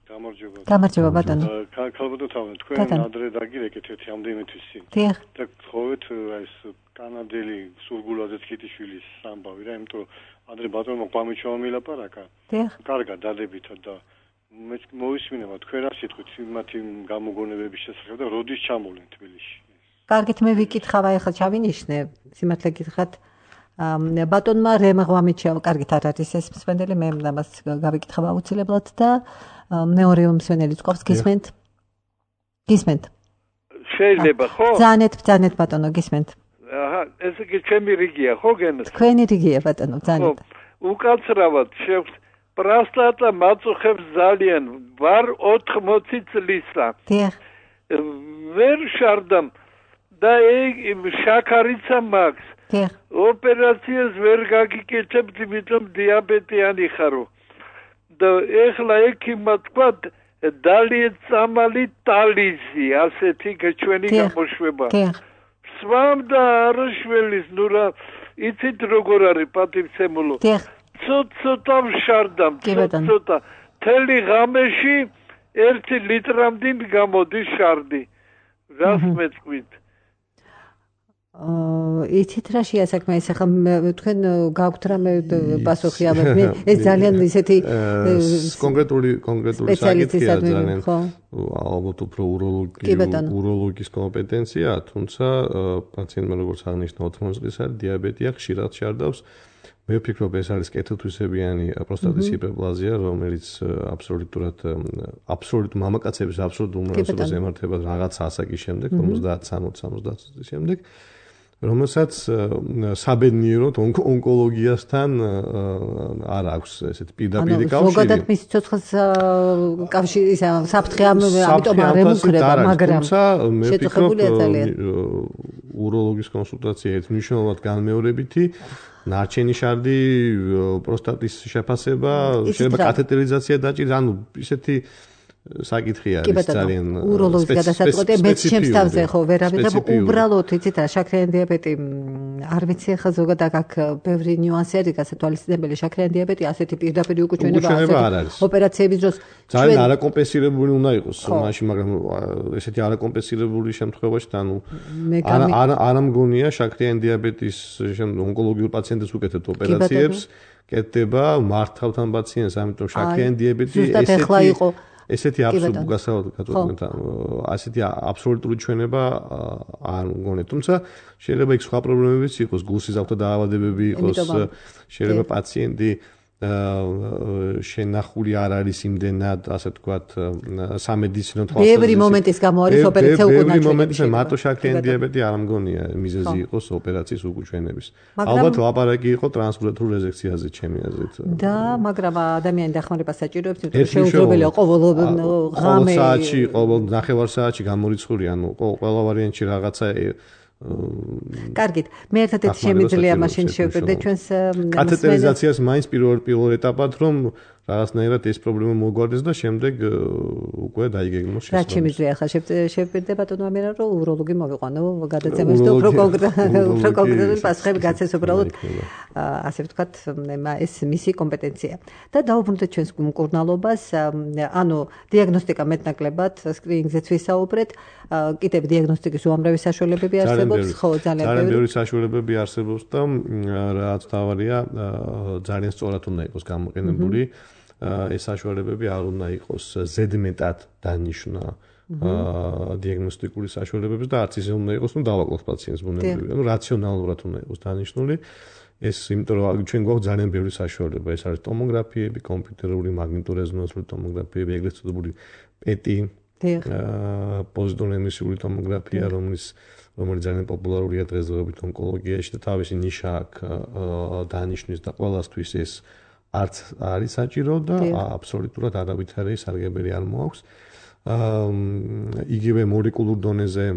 გამარჯობა. გამარჯობა ბატონო. ქალბატონო თავი, თქვენ ადრე დაგირეკეთ ერთი ამდენთვის წინ. დიახ. და გთხოვეთ ეს კანადელი სურგულაძე თქითიშვილის ამბავი რა, იმიტომ რომ ადრე ბატონო ყვამიჩოვა მილაპარაკა. დიახ. კარგად დადებითად და მე მოვისმინება თქვენ რა სიტყვით მათი გამოგონებების შესახებ და როდის ჩამოვლენ თბილისში. კარგით, მე ვიკითხავ, ახლა ჩავინიშნე, სიმართლე გითხრათ. ბატონმა რემ ღვამიჩევა, კარგით არ არის ეს მსმენელი, მე ამას გავიკითხავ აუცილებლად და მეორე მსმენელიც ყავს, გისმენთ? გისმენთ? შეიძლება, ხო? ბრძანეთ, ბრძანეთ ბატონო, გისმენთ? აჰა, ესე იგი ჩემი რიგია, ხო გენს? თქვენი რიგია ბატონო, ბრძანეთ. უკაცრავად შევს პროსტატა მაწუხებს ძალიან, ვარ ოთხმოცი წლისა. დიახ. ვერ შარდამ და შაქარიცა მაქვს. დიახ. ოპერაციას ვერ გაგიკეთებთ, იმიტომ დიაბეტიანი ხარო. და ეხლა ექიმმა თქვა დალიეწამალი ტალიზი, ასეთი ჩვენი გამოშვება. დიახ. სვამ და არაშველის, ნუ რა, იცით როგორ არის პატივცემულო. დიახ. ცოტა ვშარდამ, ცოტა. თელი ღამეში ერთი ლიტრამდე გამოდის შარდი. რას მეწყვით? იცით რა შეასაქმე ეს ახლა თქვენ გაქვთ რამე პასუხი ამ ეს ძალიან ისეთი კონკრეტული კონკრეტული საკითხია ძალიან ალბათ უფრო უროლოგის კომპეტენცია, თუმცა პაციენტმა როგორც აღნიშნა ოთხმოცი წლის არის დიაბეტია, ხშირად შარდავს. მე ვფიქრობ ეს არის კეთილთვისებიანი პროსტატის ჰიპერპლაზია, რომელიც აბსოლუტურად აბსოლუტ მამაკაცების აბსოლუტურ უმრავლესობას ემართება რაღაც ასაკის შემდეგ, ორმოცდაათ სამოცდაათ წლის შემდეგ. რომელსაც საბედნიეროდ ონკოლოგიასთან არ აქვს ესეთ პირდაპირი კავშირი. ზოგადად მის ცოცხლს კავშირი საფრთხე ამიტომ არ ემუქრება, მაგრამ მე ვფიქრობ უროლოგის კონსულტაცია ერთ მნიშვნელოვნად განმეორებითი ნარჩენი შარდი, პროსტატის შეფასება, შეიძლება კათეტერიზაცია დაჭირდეს, ანუ ისეთი საკითხი არის ძალიან უროლოგის გადასაწყვეტი მეც ჩემს თავზე ხო ვერავითარ უბრალოდ იცით რა შაქრიანი დიაბეტი არ ვიცი ახლა ზოგადად აქ ბევრი ნიუანსი არის გასათვალისწინებელი შაქრიანი დიაბეტი ასეთი პირდაპირ უკუჩვენება ასეთი ოპერაციების დროს ძალიან არაკომპენსირებული უნდა იყოს მაშინ მაგრამ ესეთი არაკომპენსირებული შემთხვევაში ანუ არ არ მგონია შაქრიანი დიაბეტის ონკოლოგიურ პაციენტებს უკეთებთ ოპერაციებს კეთდება მართავთ ამ პაციენტს ამიტომ შაქრიანი დიაბეტი ესეთი ესეთი აბსოლუტური გასავალ ასეთი აბსოლუტური ჩვენება არ მგონია, თუმცა შეიძლება იქ სხვა პრობლემებიც იყოს, გულსიზავთა დაავადებები იყოს, შეიძლება პაციენტი შენახული არ არის იმდენად, ასე ვთქვათ, სამედიცინო თვალსაზრისით. ბევრი მომენტის გამო არის ოპერაცია უკუჩვენების. ბევრი მომენტის მარტო შაქრიანი დიაბეტი არ მგონია მიზეზი იყოს ოპერაციის უკუჩვენების. ალბათ ლაპარაკი იყო ტრანსპლანტურ რეზექციაზე ჩემი აზრით. და მაგრამ ადამიანი დახმარება საჭიროებს, იმიტომ შეუძლებელია ყოველ ღამე საათში, ყოველ ნახევარ საათში გამორიცხული, ანუ ყველა ვარიანტში რაღაცა კარგით, მე ერთადერთი შემიძლია მაშინ შევკვირდე ჩვენს კათეტერიზაციას მაინც პირველ პირველ ეტაპად რომ რაღაცნაირად ეს პრობლემა მოგვარდეს და შემდეგ უკვე დაიგეგმოს შესაძლებლობა. რა შემიძლია ახლა შევკვირდე ბატონო ამერა რომ უროლოგი მოვიყვანო გადაცემას და უფრო კონკრეტულ კონკრეტულ პასუხები გაცეს უბრალოდ ასე ვთქვათ ეს მისი კომპეტენცია. და დაუბრუნდეთ ჩვენს მკურნალობას, ანუ დიაგნოსტიკა მეტნაკლებად სკრინინგზეც ვისაუბრეთ, კიდევ დიაგნოსტიკის უამრავი საშუალებები არსებობს, ხო, ძალიან ბევრი საშუალებები არსებობს და რაც თავარია ძალიან სწორად უნდა იყოს გამოყენებული. ეს საშუალებები არ უნდა იყოს ზედმეტად დანიშნა დიაგნოსტიკური საშუალებებს და არც ისე უნდა იყოს, ნუ დავაკლოთ პაციენტს ბუნებრივია, ნუ რაციონალურად უნდა იყოს დანიშნული. ეს იმიტომ რომ ჩვენ გვაქვს ძალიან ბევრი საშუალება, ეს არის ტომოგრაფიები, კომპიუტერული მაგნიტორეზონანსული ტომოგრაფიები, ეგრეთ წოდებული პეტი, პოზიტრონემისიური ტომოგრაფია, რომელიც რომელიც ძალიან პოპულარულია დღესდღეობით ონკოლოგიაში და თავისი ნიშა აქვს დანიშნვის და ყველასთვის ეს არც არის საჭირო და აბსოლუტურად არავითარი სარგებელი არ მოაქვს. იგივე მოლეკულურ დონეზე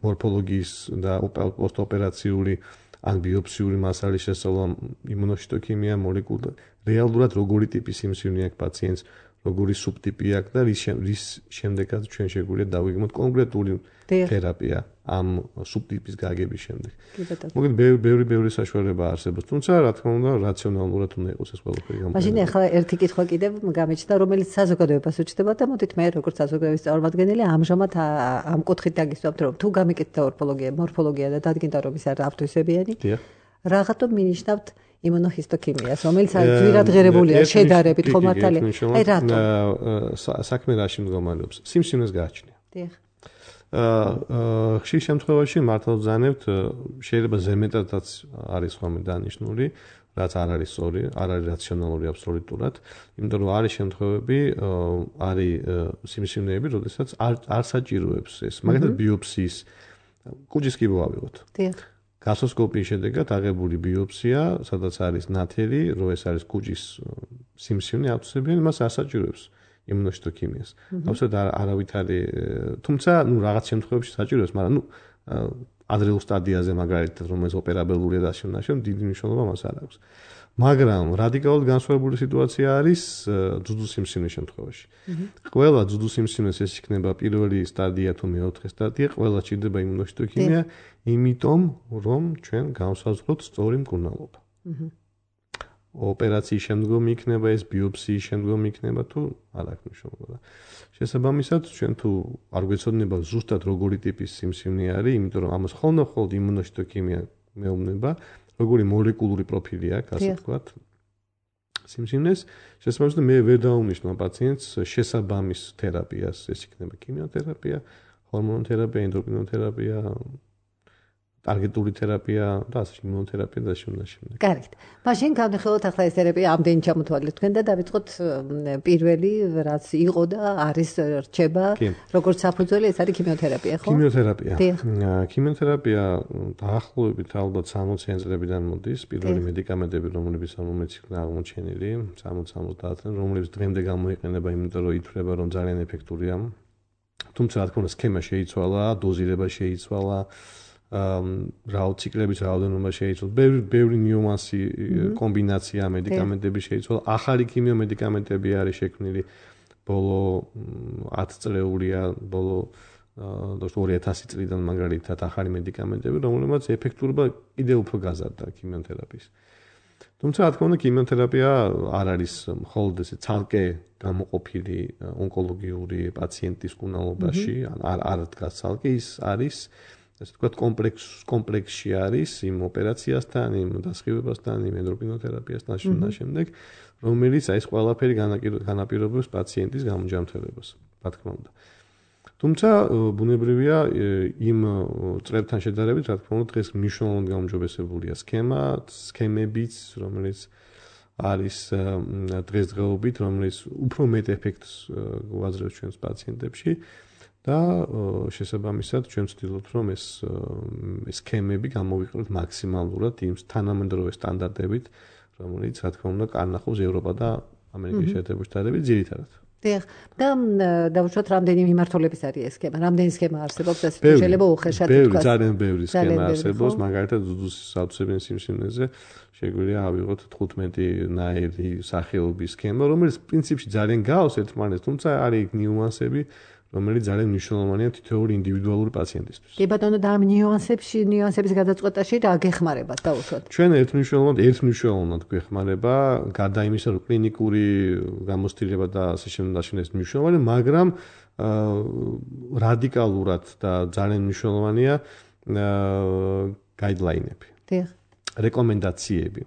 მორფოლოგიის და პოსტოპერაციული ან ბიოპსიური მასალის შესწავლა, იმუნოჰისტოქიმია, მოლეკულა, რეალურად როგორი ტიპის სიმსივნე აქვს პაციენტს, როგორი სუბტიპი აქვს და რის რის შემდეგაც ჩვენ შეგვიძლია დავიგმოთ კონკრეტული თერაპია ამ სუბტიპის გაგების შემდეგ. მოგეთ ბევრი ბევრი საშუალება არსებობს, თუმცა რა თქმა უნდა რაციონალურად უნდა იყოს ეს ყველაფერი გამო. მაშინ ახლა ერთი კითხვა კიდევ გამეჩნდა, რომელიც საზოგადოებას უჩნდება და მოდით მე როგორც საზოგადოების წარმომადგენელი ამჟამად ამ კუთხით დაგისვამთ, რომ თუ გამიკეთდა ორფოლოგია, მორფოლოგია და დადგინდა რომ ის არის ავტოისებიანი, რაღაცა მინიშნავთ იმუნოჰისტოქიმიას, რომელიც ძვირად ღირებულია შედარებით ხომ მართალია? აი რატო? საქმე რაში მდგომარეობს? სიმსივნეს გააჩნია. დიახ. აა ხშირ შემთხვევაში მართლა ვზანებთ, შეიძლება ზემეტადაც არის ხოლმე დანიშნული, რაც არ არის სწორი, არ არის რაციონალური აბსოლუტურად, იმიტომ რომ არის შემთხვევები, არის სიმსივნეები, როდესაც არ არ საჭიროებს ეს, მაგალითად ბიოპსიის კუჯის კიბო ავიღოთ. დიახ. გასტროსკოპიის შედეგად აღებული ბიოპსია, სადაც არის ნათელი, რომ ეს არის კუჯის სიმსივნე ავტოსებიანი, მას არ საჭიროებს იმუნოჰისტოქიმიას. აბსოლუტურად არავითარი, თუმცა, ნუ რაღაც შემთხვევებში საჭიროებს, მაგრამ ნუ ადრეულ სტადიაზე მაგალითად, რომელიც ოპერაბელურია და შემნაშენ, დიდი მნიშვნელობა მას არ აქვს. მაგრამ რადიკალურად განსხვავებული სიტუაცია არის ძუძუ სიმსივნის შემთხვევაში. ყველა ძუძუ სიმსივნეს ეს იქნება პირველი სტადია თუ მეოთხე სტადია, ყველა ჭირდება იმუნოჰისტოქიმია, იმიტომ რომ ჩვენ გავსაზღვროთ სწორი მკურნალობა. ოპერაციის შემდგომ იქნება ეს, ბიოპსიის შემდგომ იქნება თუ არ აქვს მნიშვნელობა. შესაბამისად, ჩვენ თუ არ გვეცოდინება ზუსტად როგორი ტიპის სიმსივნე არის, იმიტომ რომ ამას ხოლმე-ხოლმე იმუნოჰისტოქიმია მეუბნება, როგორი მოლეკულური პროფილი აქვს, ასე ვთქვათ, სიმსივნეს, შესაბამისად მე ვერ დავუნიშნავ პაციენტს შესაბამის თერაპიას, ეს იქნება ქიმიოთერაპია, ჰორმონოთერაპია, ენდოკრინოთერაპია, ტარგეტული თერაპია და ასე იმუნოთერაპია და შემდეგ შემდეგ. კარგით. მაშინ განვიხილოთ ახლა ეს თერაპია ამდენი ჩამოთვალეთ თქვენ და დავიწყოთ პირველი რაც იყო და არის რჩება, როგორც საფუძველი, ეს არის ქიმიოთერაპია, ხო? ქიმიოთერაპია. ქიმიოთერაპია დაახლოებით ალბათ სამოციან წლებიდან მოდის, პირველი მედიკამენტები, რომლებიც რომელიც იქნა აღმოჩენილი, სამოცი სამოცდაათ წლიდან, რომლებიც დღემდე გამოიყენება, იმიტომ რომ ითვლება, რომ ძალიან ეფექტურია. თუმცა რა თქმა უნდა, სქემა შეიცვალა, დოზირება შეიცვალა. რაუციკლების რაოდენობა შეიცვალა, ბევრი ბევრი ნიუანსი, კომბინაცია მედიკამენტები შეიცვალა, ახალი ქიმიომედიკამენტები არის შექმნილი ბოლო ათი წლეულია, ბოლო ორი ათასი წლიდან მაგალითად ახალი მედიკამენტები, რომლებიც ეფექტურობა კიდევ უფრო გაზარდა ქიმიოთერაპიის. თუმცა რა თქმა უნდა, ქიმიოთერაპია არ არის მხოლოდ ესე ცალკე გამოყოფილი ონკოლოგიური პაციენტის მკურნალობაში, არ არ დგას ცალკე, ის არის ასე ვთქვათ, კომპლექს კომპლექსში არის იმ ოპერაციასთან, იმ დასხივებასთან, იმ ენდოკრინოთერაპიასთან და შემდეგ, რომელიც აი ეს ყველაფერი განაპირობებს პაციენტის გამოჯანმრთელებას, რა თქმა უნდა. თუმცა ბუნებრივია იმ წლებთან შედარებით, რა თქმა უნდა, დღეს მნიშვნელოვნად გაუმჯობესებულია სქემა, სქემებიც, რომელიც არის დღესდღეობით, რომელიც უფრო მეტ ეფექტს გვაძლევს ჩვენს პაციენტებში. და შესაბამისად ჩვენ ვცდილობთ რომ ეს სქემები გამოვიყენოთ მაქსიმალურად იმ თანამედროვე სტანდარტებით, რომელიც რა თქმა უნდა კარნახობს ევროპა და ამერიკის შეერთებული შტატები ძირითადად. დიახ, და დავუშვათ რამდენი მიმართულების არის ეს სქემა, რამდენი სქემა არსებობს, ასე შეიძლება უხეშად თქვა. ბევრი, ძალიან ბევრი სქემა არსებობს, მაგალითად ძუძუს ავტოსებიანი სიმსივნეზე შეგვიძლია ავიღოთ თხუთმეტი ნაირი სახეობის სქემა, რომელიც პრინციპში ძალიან გავს ერთმანეთს, თუმცა არის ნიუანსები რომელიც ძალიან მნიშვნელოვანია თითოეული ინდივიდუალური პაციენტისთვის. კი ბატონო, და ამ ნიუანსებში, ნიუანსების გადაწყვეტაში რა გეხმარება დავუშვათ? ჩვენ ერთმნიშვნელოვნად, ერთმნიშვნელოვნად გვეხმარება, გარდა იმისა, რომ კლინიკური გამოცდილება და ასე შემდეგ ეს მნიშვნელოვანია, მაგრამ რადიკალურად და ძალიან მნიშვნელოვანია გაიდლაინები. დიახ. რეკომენდაციები.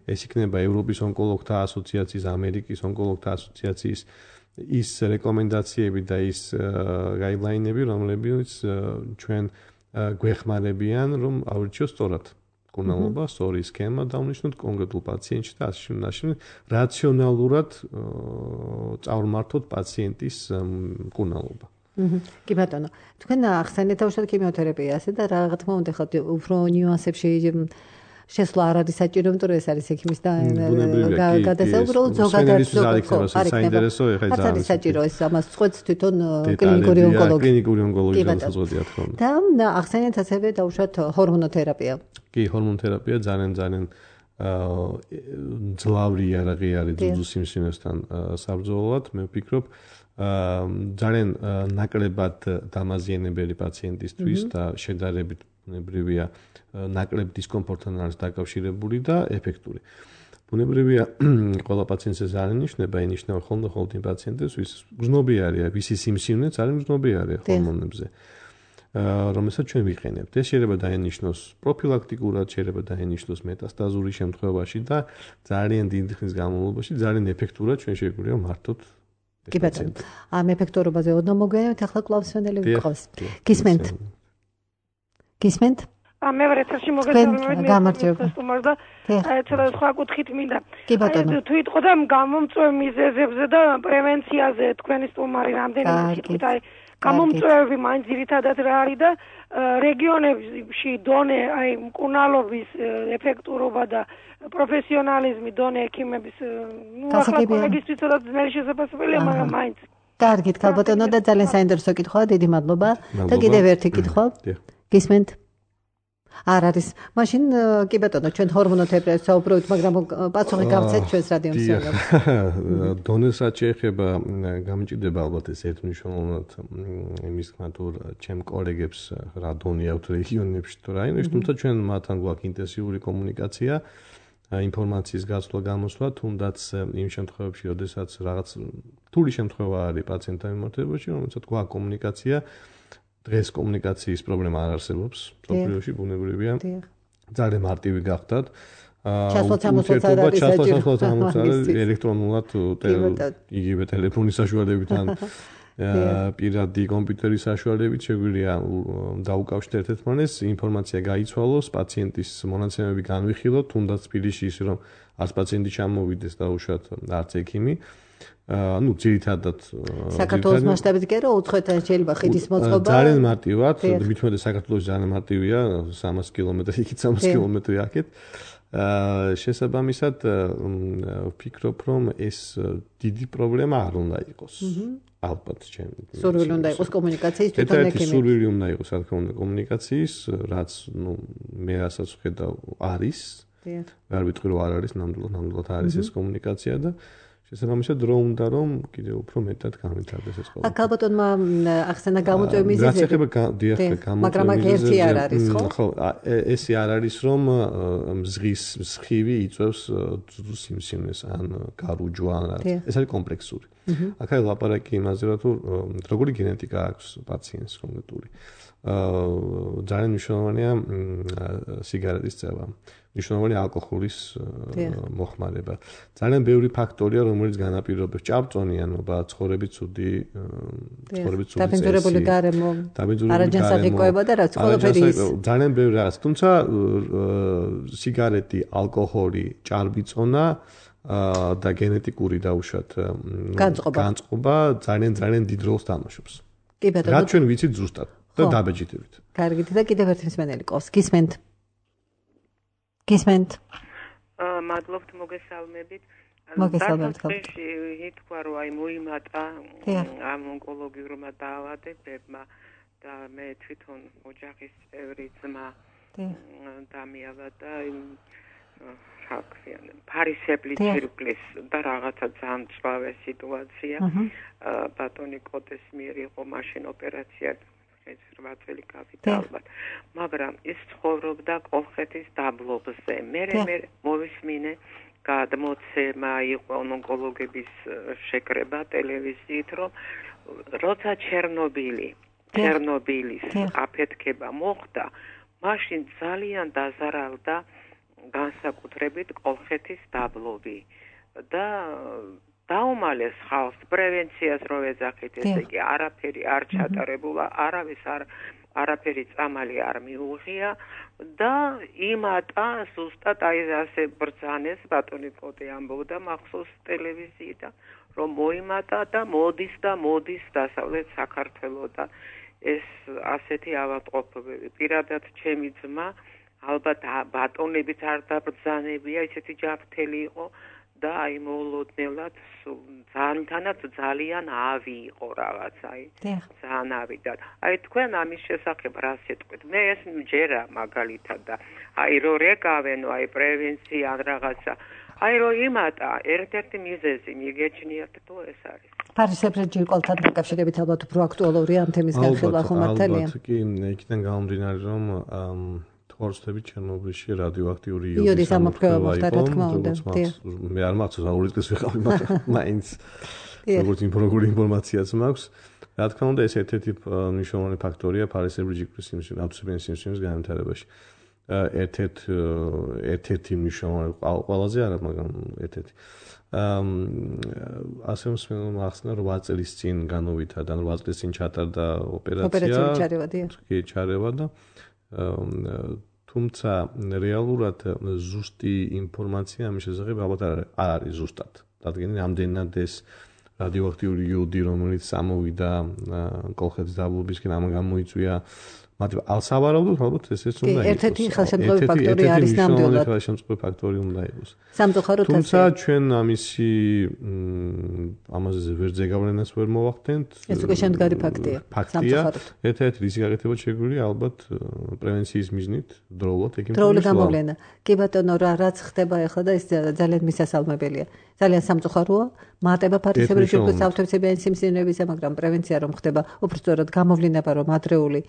ეს იქნება ევროპის ონკოლოგთა ასოციაციის, ამერიკის ონკოლოგთა ასოციაციის ის რეკომენდაციები და ის გაიდლაინები, რომლებიც ჩვენ გვეხმარებიან, რომ ავირჩიოთ სწორად მკურნალობა, სწორი სქემა დავნიშნოთ კონკრეტულ პაციენტში და ასე შემდეგ, რაციონალურად წავრმართოთ პაციენტის მკურნალობა. კი ბატონო, თქვენ ახსენეთ თავშად ქიმიოთერაპიასა და რა თქმა უნდა ხოთ უფრო ნიუანსებში შესვლა არ არის საჭირო, იმიტომ რომ ეს არის ექიმის და გადასაუბრებლად ზოგადად საინტერესო ეხლა ეს არის საჭირო ეს ამას წყვეტს თვითონ კლინიკური ონკოლოგი. კლინიკური ონკოლოგი განსაზღვრულია თქო. და ახსენეთ ასევე დავუშვათ ჰორმონოთერაპია. კი, ჰორმონოთერაპია ძალიან ძალიან ძლავრი იარაღი არის ძუძუ სიმსივნესთან საბრძოლოდ, მე ვფიქრობ ძალიან ნაკლებად დამაზიანებელი პაციენტისთვის და შედარებით ბუნებრივია ნაკლებ დისკომფორტთან არის დაკავშირებული და ეფექტური. ბუნებრივია ყველა პაციენტს ეს არ ინიშნება, ინიშნება ხოლმე ხოლმე იმ პაციენტებს, ვის გრძნობი არის, ვისი სიმსივნეც არის გრძნობი არის ჰორმონებზე. რომელსაც ჩვენ ვიყენებთ. ეს შეიძლება დაინიშნოს პროფილაქტიკურად, შეიძლება დაინიშნოს მეტასტაზური შემთხვევაში და ძალიან დიდი ხნის განმავლობაში ძალიან ეფექტურად ჩვენ შეგვიძლია მართოთ. კი ბატონო. ამ ეფექტურობაზე ოდნავ მოგვიანებით ახლა კლავსვენელი ვიყავს. გისმენთ? გისმენთ? მე ვარ ეთერში მოგესალმებით სტუმარს და ცოტა სხვა კუთხით მინდა. თუ იტყოდა გამომწვევ მიზეზებზე და პრევენციაზე თქვენი სტუმარი რამდენიმე სიტყვით აი გამომწვევი მაინც ძირითადად რა არის და რეგიონებში დონე აი მკურნალობის ეფექტურობა და პროფესიონალიზმი დონე ექიმების ნუ ახლა კოლეგისთვის ცოტა ძნელი შესაძლებელია, მაგრამ მაინც. კარგით, ქალბატონო და ძალიან საინტერესო კითხვაა, დიდი მადლობა. და კიდევ ერთი კითხვა. გისმენთ? არ არის. მაშინ კი ბატონო, ჩვენ ჰორმონოთერაპიას საუბრობთ, მაგრამ პასუხი გავცეთ ჩვენს რადიო მსმენელს. დონესაც შეეხება გამჭირდება ალბათ ეს ერთმნიშვნელოვნად იმის თქმა თუ ჩემ კოლეგებს რა დონე აქვთ რეგიონებში თუ რაიონებში, თუმცა ჩვენ მათთან გვაქვს ინტენსიური კომუნიკაცია, ინფორმაციის გაცვლა გამოსვლა, თუნდაც იმ შემთხვევებში, როდესაც რაღაც რთული შემთხვევა არის პაციენტთან მიმართებაში, რომელსაც გვაქვს კომუნიკაცია. დღეს კომუნიკაციის პრობლემა არ არსებობს სოფლიოში ბუნებრივია ძალიან მარტივი გახდათ ურთიერთობა ჩასვლას ელექტრონულად იგივე ტელეფონის საშუალებით ან პირადი კომპიუტერის საშუალებით შეგვიძლია დაუკავშირდეთ ერთმანეთს ინფორმაცია გაიცვალოს პაციენტის მონაცემები განვიხილოთ თუნდაც თბილისში ის რომ არც პაციენტი ჩამოვიდეს და უშუალოდ არც ექიმი ну, ძირითადად საქართველოს მასშტაბით კი რა უცხოეთთან შეიძლება ხიდის მოწყობა ძალიან მარტივად, მithumeτε საქართველოს ძალიან მარტივია, სამას კილომეტრი იქით, სამას კილომეტრი აქეთ. შესაბამისად ვფიქრობ, რომ ეს დიდი პრობლემა არ უნდა იყოს. ალბათ ჩემ. სურვილი უნდა იყოს კომუნიკაციის თვითონ ექიმი. სურვილი უნდა იყოს, რა თქმა უნდა, კომუნიკაციის, რაც ну, მე რასაც ვხედავ არის. არ ვიტყვი რომ არ არის, ნამდვილად ნამდვილად არის ეს კომუნიკაცია და შესაბამისად დრო უნდა რომ კიდევ უფრო მეტად განვითარდეს ეს ყოველთვის. ქალბატონმა ახსენა გამოწვევი მიზეზები. რაც ეხება დიახ გამოწვევი. მაგრამ აქ ერთი არ არის, ხო? ხო, ესე არ არის რომ მზღის მსხივი იწევს ძუძუ სიმსივნეს ან გარუჯვა ან ეს არის კომპლექსური. აქ არის ლაპარაკი იმაზე რომ თუ როგორი გენეტიკა აქვს პაციენტს კონკრეტული. აა ძალიან მნიშვნელოვანია სიგარეტის წევა. მნიშვნელოვანია ალკოჰოლის მოხმარება. ძალიან ბევრი ფაქტორია, რომელიც განაპირობებს ჭავწონიანობა, ცხოვრების ცუდი, ცხოვრების ცუდი წესი. დაბინძურებული გარემო. არაჯანსაღი კვება და რაც ყველაფერი ის. ძალიან ბევრი რაღაც. თუმცა სიგარეტი, ალკოჰოლი, ჭარბიწონა და გენეტიკური დაუშვათ განწყობა ძალიან ძალიან დიდ როლს თამაშობს. კი ბატონო. რაც ჩვენ ვიცით ზუსტად და დაბეჭდებით. კარგით და კიდევ ერთი მსმენელი ყავს. გისმენთ? გისმენთ? აა მადლობთ მოგესალმებით. მოგესალმებით. ითქვა რომ აი მოიმატა ამ ონკოლოგიურმა დაავადებებმა და მე თვითონ ოჯახის წევრი ძმა დამიავადა იმ რა ქვია ფარისებლის ცირკლის და რაღაცა ძალიან ცვალე სიტუაცია. ბატონი კოტეს მიერ იყო მაშინ ოპერაცია რვა წელი გავიდა ალბათ. მაგრამ ის ცხოვრობდა კოლხეთის დაბლობზე. მე მე მოვისმინე გადმოცემა იყო ონკოლოგების შეკრება ტელევიზიით, რომ როცა ჩერნობილი, ჩერნობილის აფეთქება მოხდა, მაშინ ძალიან დაზარალდა განსაკუთრებით კოლხეთის დაბლობი და დაუმალეს ხალხს პრევენციას რო ეძახით, ესე იგი არაფერი არ ჩატარებულა, არავის არ არაფერი წამალი არ მიუღია და იმატა ზუსტად აი ასე ბრძანეს ბატონი პოტე ამბობდა მახსოვს ტელევიზიიდან რომ მოიმატა და მოდის და მოდის დასავლეთ საქართველოს და ეს ასეთი ავადმყოფობები პირადად ჩემი ძმა ალბათ ბატონებიც არ დაბრძანებია ისეთი ჯანმრთელი იყო და აი მოულოდნელად ძალთანაც ძალიან ავი იყო რაღაც აი ძალიან ავი და აი თქვენ ამის შესახებ რა სიტყვით მე ეს მჯერა მაგალითად და აი რო რეკავენო აი პრევენცია რაღაცა აი რო იმატა ერთ-ერთი მიზეზი მიგეჩნიათ თუ ეს არის ფარისებრ ჯირკვალთან დაკავშირებით ალბათ უფრო აქტუალურია ამ თემის განხილვა ხომ მართალია ალბათ კი იქიდან გამომდინარე რომ ორსტები ჩერნობილში რადიოაქტიური იოდის ამოფრქვევა მოხდა რა თქმა უნდა. მე არ მახსოვს რა ორი წლის ვიყავი, მაგრამ მაინც როგორც ინფორმაციული ინფორმაციაც მაქვს. რა თქმა უნდა ეს ერთ-ერთი მნიშვნელოვანი ფაქტორია ფარისებრი ჯირკვლის სიმსივნის, ავტოცებიანი სიმსივნის განვითარებაში. ერთ-ერთ ერთ-ერთი მნიშვნელოვანი ყველაზე არა, მაგრამ ერთ-ერთი. ასე მსმენელმა ახსნა რომ რვა წლის წინ განუვითარდა, რვა წლის წინ ჩატარდა ოპერაცია. ოპერაციული ჩარევა, დიახ. კი, ჩარევა და თუმცა რეალურად ზუსტი ინფორმაცია ამის შესახებ ალბათ არ არის ზუსტად. რადგან ამდენად ეს რადიოაქტიური იოდი რომელიც ამოვიდა კოლხეთის დაბლობისკენ ამ გამოიწვია მათ ალსავარაუდოდ ალბათ ესეც უნდა იყოს. ერთ-ერთი ხელშემწყობი ფაქტორი არის ნამდვილად. ხელშემწყობი ფაქტორი უნდა იყოს. სამწუხაროდ ასე. თუმცა ჩვენ ამისი ამაზე ვერძე გავლენას ვერ მოვახდენთ. ეს უკვე შემდგარი ფაქტია. ფაქტია. ერთ-ერთი რისი გაკეთება შეგვიძლია ალბათ პრევენციის მიზნით დროულად ეკიმ. დროული გამოვლენა. კი ბატონო რა რაც ხდება ახლა და ეს ძალიან მისასალმებელია. ძალიან სამწუხაროა. მატება ფარისებრი ჯირკვლის ავტოცებიანი სიმსივნეებისა, მაგრამ პრევენცია რომ ხდება, უბრალოდ გამოვლინება რომ ადრეული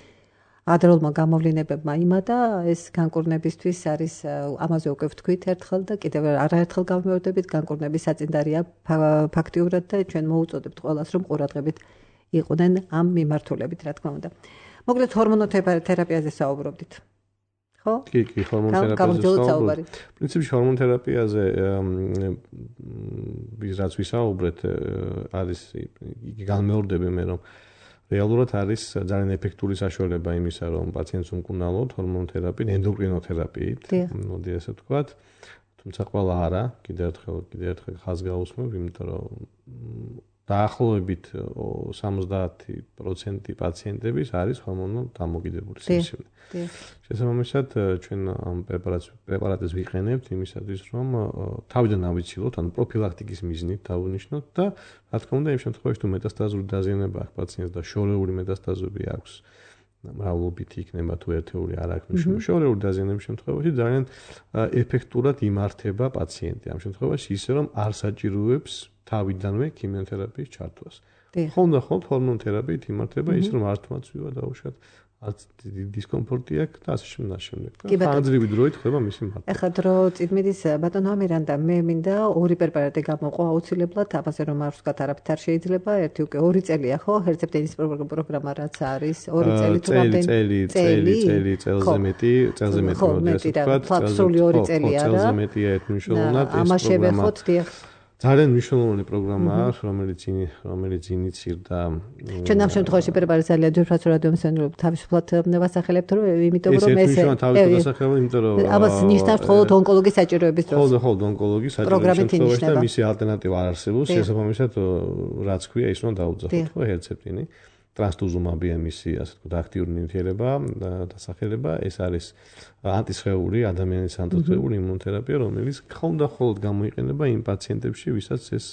ადრეულმა გამოვლინებებმა იმატა ეს განკურნებისთვის არის ამაზე უკვე ვთქვით ერთხელ და კიდევ არაერთხელ გამოვიდებით განკურნების საწინდარია ფაქტიურად და ჩვენ მოუწოდებთ ყველას რომ ყურადღებით იყვნენ ამ მიმართულებით რა თქმა უნდა. მოგდეთ ჰორმონოთერაპიაზე საუბრობდით. ხო? კი, კი, ჰორმონოთერაპიაზე საუბრობთ. პრინციპში ჰორმონოთერაპიაზე ის რაც ვისაუბრეთ არის იგი განმეორდები მე რომ რეალურად არის ძალიან ეფექტური საშუალება იმისა, რომ პაციენტს უმკურნალოთ ჰორმონოთერაპიით, ენდოკრინოთერაპიით, მოდი ასე ვთქვათ. თუმცა ყველა არა, კიდევ ერთხელ, კიდევ ერთხელ ხაზს გავუსმევ, იმიტომ რომ დაახლოებით სამოცდაათი პროცენტი პაციენტების არის ჰორმონულ დამოკიდებული სიმსივნე. შესაბამისად, ჩვენ ამ პრეპარატებს ვიყენებთ იმისათვის, რომ თავიდან ავიცილოთ, ანუ პროფილაქტიკის მიზნით დავუნიშნოთ და რა თქმა უნდა, იმ შემთხვევაში თუ მეტასტაზური დაზიანება აქვს პაციენტს და შორეული მეტასტაზები აქვს, მრავლობითი იქნება თუ ერთეული არ აქვს მნიშვნელობა. შორეული დაზიანების შემთხვევაში ძალიან ეფექტურად იმართება პაციენტი. ამ შემთხვევაში ისე რომ არ საჭიროებს თავიდანვე ქიმიოთერაპიის ჩართვას. ხოლმე და ხოლმე ჰორმონოთერაპიით იმართება ის რომ არ თმაცვივა დაუშვათ, არც დისკომფორტი აქვს და ასე შემდეგ. ხანძრივი დროით ხდება მისი მართვა. ეხლა დრო წითმიდის ბატონო ამირანდა მე მინდა ორი პრეპარატი გამოყო აუცილებლად, ამაზე რომ არ ვსვათ არაფრით არ შეიძლება, ერთი უკვე ორი წელია ხო, ჰერცეპტინის პროგრამა რაც არის, ორი წელი თუ რამდენი წელი, წელი, წელი, წელზე მეტი, წელზე მეტი მოდი ასე ვთქვათ, წელზე ორი წელი არა. წელზე მეტია ერთ მნიშვნელოვნად ეს პროგრამა. ამას შევეხოთ დიახ. ძალიან მნიშვნელოვანი პროგრამაა, რომელიც რომელიც ინიცირდა. ჩვენ ამ შემთხვევაში პრეპარატი ძალიან ძვირფას რადიომსენელობ თავისუფლად ვასახელებთ, რომ იმიტომ რომ ეს ეს თავისუფლად ვასახელებ, იმიტომ რომ ამას ნიშნავს მხოლოდ ონკოლოგის საჭიროების დროს. მხოლოდ მხოლოდ ონკოლოგის საჭიროების დროს და მისი ალტერნატივა არ არსებობს, შესაბამისად რაც ქვია ის რომ დაუძახოთ, ხო, ჰერცეპტინი. ტრანსტუზუმაბია მისი ასე ვთქვათ აქტიური ნივთიერება დასახელება ეს არის ანტისხეული ადამიანის ანტისხეული იმუნოთერაპია რომელიც ხომ და ხოლმე გამოიყენება იმ პაციენტებში ვისაც ეს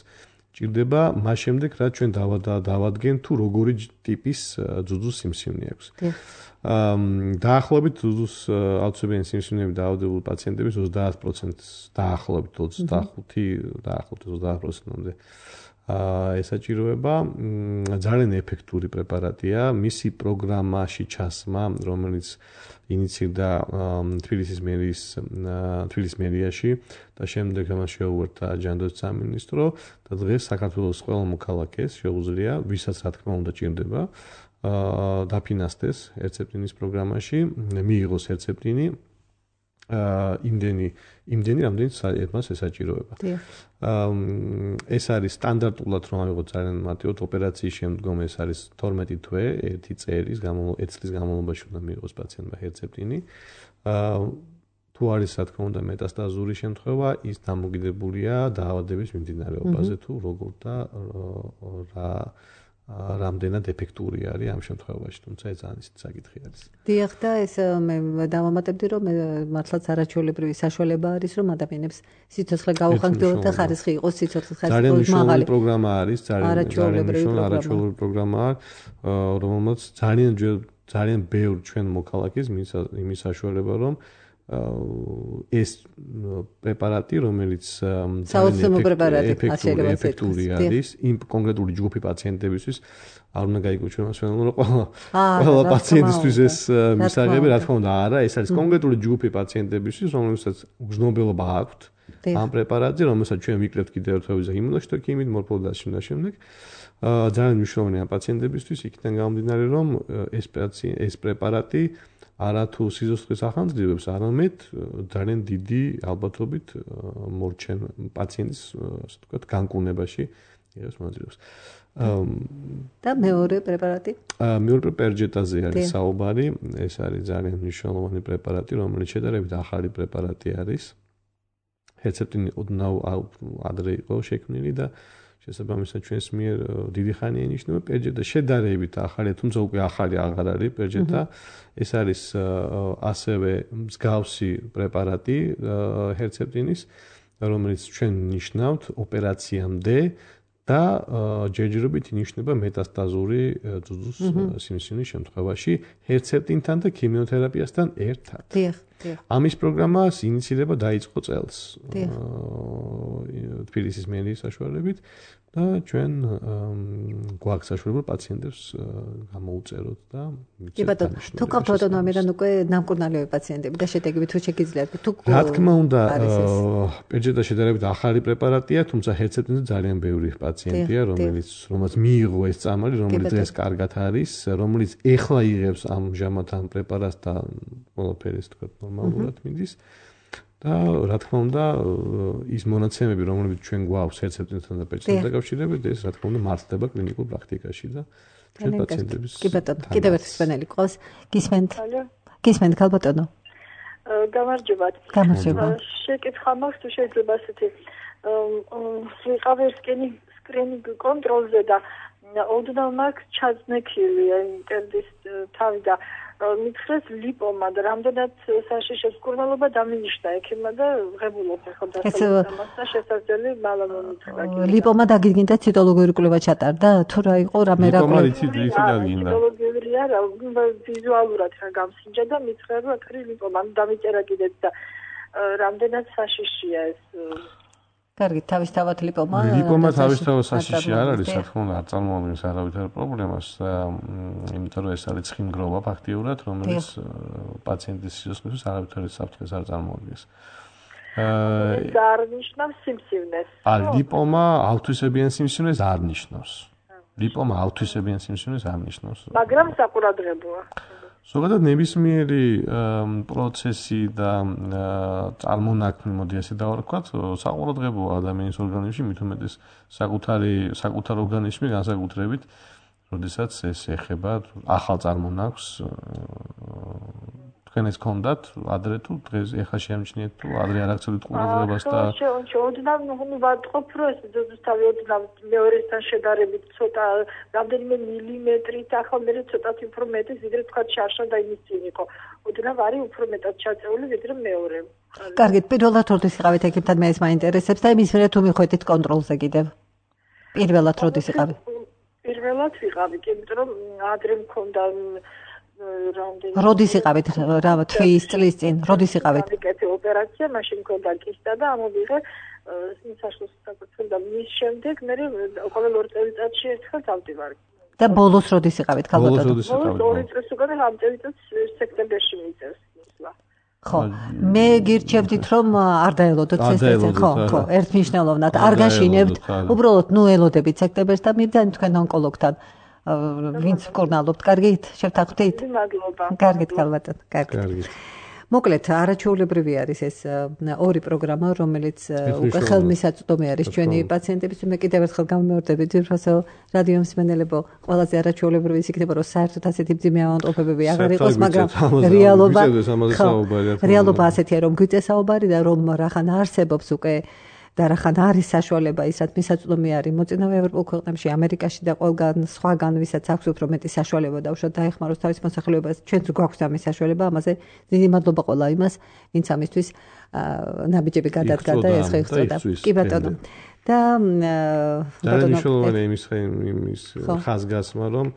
ჭირდება მას შემდეგ რაც ჩვენ დავადგენ თუ როგორი ტიპის ძუძუს სიმსივნე აქვს დაახლოებით ძუძუს ავტოცებიანი სიმსივნეები დაავადებული პაციენტების ოცდაათ პროცენტს დაახლოებით ოცდახუთი დაახლოებით ოცდაათ პროცენტამდე ესაჭიროება ძალიან ეფექტური პრეპარატია მისი პროგრამაში ჩასმა რომელიც ინიცირდა თბილისის მერის თბილისის მერიაში და შემდეგ ამას შეუერთდა ჯანდაცვის სამინისტრო და დღეს საქართველოს ყველა მოქალაქეს შეუძლია ვისაც რა თქმა უნდა ჭირდება დაფინანსდეს ჰერცეპტინის პროგრამაში მიიღოს ჰერცეპტინი იმდენი იმდენი რამდენიც ერთმანეთს ესაჭიროება. ეს არის სტანდარტულად რომ ავიღოთ ძალიან მარტივად ოპერაციის შემდგომ ეს არის თორმეტი თვე, ერთი წელის განმავლობაში, ერთი წლის განმავლობაში უნდა მიიღოს პაციენტმა ჰერცეპტინი. თუ არის რა თქმა უნდა მეტასტაზური შემთხვევა, ის დამოკიდებულია დაავადების მიმდინარეობაზე თუ როგორ და რა რამდენად ეფექტური არის ამ შემთხვევაში, თუმცა ეს ძალიან ისეთი საკითხი არის. დიახ და ეს მე დავამატებდი რომ მართლაც არაჩვეულებრივი საშუალება არის რომ ადამიანებს სიცოცხლე გაუხანგდოთ და ხარისხი იყოს სიცოცხლის ხარისხი მაღალი. ძალიან მნიშვნელოვანი პროგრამა არის, ძალიან მნიშვნელოვანი არაჩვეულებრივი პროგრამაა, რომელმაც ძალიან ძალიან ბევრ ჩვენ მოქალაქეს იმის საშუალება რომ ეს პრეპარატი, რომელიც ძალიან ეფექტური არის, იმ კონკრეტული ჯგუფი პაციენტებისთვის არ უნდა გაიგო ჩვენ მასვენელო რომ ყველა პაციენტისთვის ეს მისაღები, რა თქმა უნდა, არა, ეს არის კონკრეტული ჯგუფი პაციენტებისთვის, რომელსაც გრძნობელობა აქვთ ამ პრეპარატზე, რომელსაც ჩვენ ვიკლებთ კიდევ ერთხელ იმუნოშტოკიმით, მორფოლოგიაში და შემდეგ. ძალიან მნიშვნელოვანია პაციენტებისთვის, იქიდან გამომდინარე, რომ ეს ეს პრეპარატი არათუ სიცოცხლის ახალმძრივებს, არამედ ძალიან დიდი ალბათობით მორჩენ პაციენტის, ასე ვთქვათ, განკურნებაში იღებს მონაწილეობას. და მეორე პრეპარატი? მეორე პერჯეტაზე არის საუბარი, ეს არის ძალიან მნიშვნელოვანი პრეპარატი, რომელიც შედარებით ახალი პრეპარატი არის. ჰერცეპტინი ოდნავ ადრე იყო შექმნილი და შესაბამისად ჩვენს მიერ დიდი ხანია ინიშნება პერჯეტა შედარებით ახალია, თუმცა უკვე ახალი აღარ არის პერჯეტა. ეს არის ასევე მსგავსი პრეპარატი ჰერცეპტინის, რომელიც ჩვენ ნიშნავთ ოპერაციამდე და ჯერჯერობით ინიშნება მეტასტაზური ძუძუს სიმსივნის შემთხვევაში ჰერცეპტინთან და ქიმიოთერაპიასთან ერთად. დიახ, დიახ. ამის პროგრამას ინიციირება დაიწყო წელს თბილისის მერიის საშუალებით და ჩვენ გვაქვს საშუალება პაციენტებს გამოუწეროთ და კი ბატონო, თუ გქონთ ავტონომიიდან უკვე ნამკურნალები პაციენტები და შედეგები თუ შეგიძლიათ თუ რა თქმა უნდა პერჯეტა შედარებით ახალი პრეპარატია, თუმცა ჰერცეპტინზე ძალიან ბევრი პაციენტია, რომელიც რომელსაც მიიღო ეს წამალი, რომელიც ეს კარგად არის, რომელიც ეხლა იღებს ამჟამად ამ პრეპარატს და ყველაფერი ეს თქვა ნორმალურად მიდის. და რა თქმა უნდა ის მონაცემები, რომლებიც ჩვენ გვაქვს ჰერცეპტინთან და პერჯეტთან დაკავშირებით, ეს რა თქმა უნდა მართლდება კლინიკურ პრაქტიკაში და ჩვენ პაციენტების კი ბატონო, კიდევ ერთი სპენელი ყავს. გისმენთ? გისმენთ ქალბატონო? გამარჯობათ. გამარჯობა. შეკითხვა მაქვს თუ შეიძლება ასეთი ვიყავ სკრინინგ კონტროლზე და ოდნავ მაქვს ჩაზნექილი ინტერდის თავი და მითხრეს ლიპომა და რამდენად საშიშეს მკურნალობა დამინიშნა ექიმმა და ღებულობ ხო დასწავლებას და შესაძლებელი მალა მომითხრა. ლიპომა დაგიგინდა ციტოლოგიური კვლევა ჩატარდა თუ რა იყო რამე რა კვლევა? ლიპომა იცით იცით დაგიგინდა. ციტოლოგიური არა, ვიზუალურად რა გამსინჯა და მითხრა რომ აქ ლიპომა დამიწერა კიდეც და რამდენად საშიშია ეს კარგი, თავისთავად ლიპომა. ლიპომა თავისთავად საშიში არ არის, რა თქმა უნდა, არ წარმოადგენს არავითარ პრობლემას, იმიტომ რომ ეს არის ცხიმგროვა ფაქტიურად, რომელიც პაციენტის სიცოცხლეში არავითარი საფრთხეს არ წარმოადგენს. ეს არ ნიშნავს სიმსივნეს. ა ლიპომა ავთვისებიან სიმსივნეს არ ნიშნავს. ლიპომა ავთვისებიან სიმსივნეს არ ნიშნავს. მაგრამ საყურადღებოა. ზოგადად ნებისმიერი პროცესი და წარმონაქმნი, მოდი ასე დავარქვათ, საყურადღებოა ადამიანის ორგანიზმში, მით უმეტეს საკუთარი საკუთარ ორგანიზმი განსაკუთრებით, როდესაც ეს ეხება ახალ წარმონაქმნს, თქვენ ეს გქონდათ ადრე თუ დღეს ეხლა შეამჩნიეთ თუ ადრე არ აქცევთ ყურადღებას და ოდნავ ნუ ვატყობ რომ ეს ძუძუსთავი ოდნავ მეორესთან შედარებით ცოტა რამდენიმე მილიმეტრით ახლა მე ცოტათი უფრო მეტი ვიდრე თქვა შარშა და იმის წინ იყო ოდნავ არის უფრო მეტად ჩაწეული ვიდრე მეორე. კარგით, პირველად როდის იყავით ექიმთან, მე ეს მაინტერესებს და იმის მერე თუ მიხვედით კონტროლზე კიდევ. პირველად როდის იყავით? პირველად ვიყავი, იმიტომ რომ ადრე მქონდა როდის იყავით რა თვის წლის წინ როდის იყავით? მიკეთე ოპერაცია, მაშინ მქონდა კისტა და ამოვიღე საშუალო საკუთრება და მის შემდეგ მე ყოველ ორ წელიწადში ერთხელ დავდივარ. და ბოლოს როდის იყავით ქალბატონო? ბოლოს ორი წლის უკან ამ წელიწადს სექტემბერში მიიწევს ისლა. ხო, მე გირჩევდით რომ არ დაელოდოთ ეს ეს ხო, ხო, ერთმნიშვნელოვნად არ გაშინებთ, უბრალოდ ნუ ელოდებით სექტემბერს და მივდანით თქვენ ონკოლოგთან. ვინც მკურნალობთ, კარგით? შევთანხმდით? მადლობა. კარგით, ქალბატონო, კარგით. მოკლედ, არაჩვეულებრივი არის ეს ორი პროგრამა, რომელიც უკვე ხელმისაწვდომი არის ჩვენი პაციენტების. მე კიდევ ერთხელ გამიმეორდები, ძვირფასო რადიო მსმენელებო, ყველაზე არაჩვეულებრივი ის იქნება, რომ საერთოდ ასეთი მძიმე ავადმყოფობები აღარ იყოს, მაგრამ რეალობა რეალობა ასეთია, რომ გვიწესაუბარი და რომ რახან არსებობს უკვე და რახან არის საშუალება ისაც მისაწვდომი არის მოწინავე ევროპულ ქვეყნებში, ამერიკაში და ყველგან სხვაგან, ვისაც აქვს უფრო მეტი საშუალება და უშუალოდ დაეხმაროს თავის მოსახლეობას, ჩვენც გვაქვს ამის საშუალება, ამაზე დიდი მადლობა ყველა იმას, ვინც ამისთვის ნაბიჯები გადადგა და ეს ხეიხსდა. კი ბატონო. და ბატონო მნიშვნელოვანია იმის იმის ხაზგასმა, რომ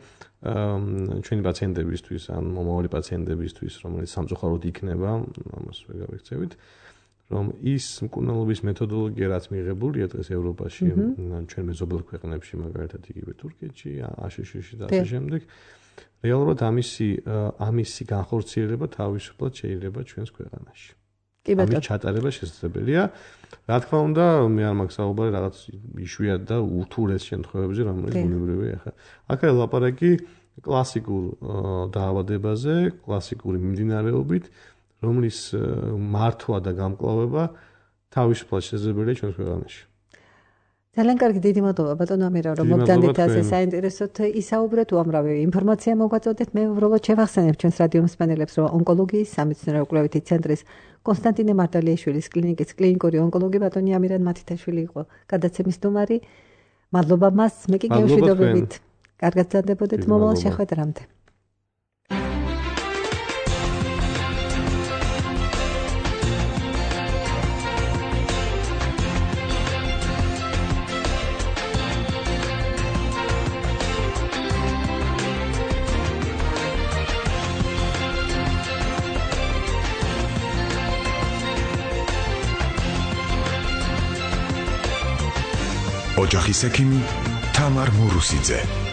ჩვენი პაციენტებისთვის ან მომავალი პაციენტებისთვის, რომელიც სამწუხაროდ იქნება, ამას ვერ გავიქცევით. რომ ის მკურნალობის მეთოდოლოგია რაც მიღებულია დღეს ევროპაში, ჩვენ მეზობელ ქვეყნებში, მაგალითად იგივე თურქეთში, აშშ-ში და ასე შემდეგ, რეალურად ამისი ამისი განხორციელება თავისუფლად შეიძლება ჩვენს ქვეყანაში. კი ბატონო. ამის ჩატარება შესაძლებელია. რა თქმა უნდა, მე არ მაქვს საუბარი რაღაც იშვიათ და უთურეს შემთხვევებში, რომელიც ბუნებრივია ახლა. აქაა ლაპარაკი კლასიკურ დაავადებაზე, კლასიკური მიმდინარეობით, რომლის მართვა და გამკლავება თავისუფლად შესაძლებელია ჩვენს ქვეყანაში. ძალიან კარგი, დიდი მადლობა ბატონო ამირა, რომ მოგდანდით ასე საინტერესოდ ისაუბრეთ, უამრავი ინფორმაცია მოგვაწოდეთ. მე უბრალოდ შევახსენებ ჩვენს რადიო მსმენელებს, რომ ონკოლოგიის სამეცნიერო კვლევითი ცენტრის კონსტანტინე მარტალიაშვილის კლინიკის კლინიკური ონკოლოგი ბატონი ამირან მათითაშვილი იყო გადაცემის სტუმარი. მადლობა მას, მე კი გემშვიდობებით. კარგად გრძანდებოდეთ მომავალ შეხვედრამდე. ოჯახის ექიმი თამარ მურუსიძე.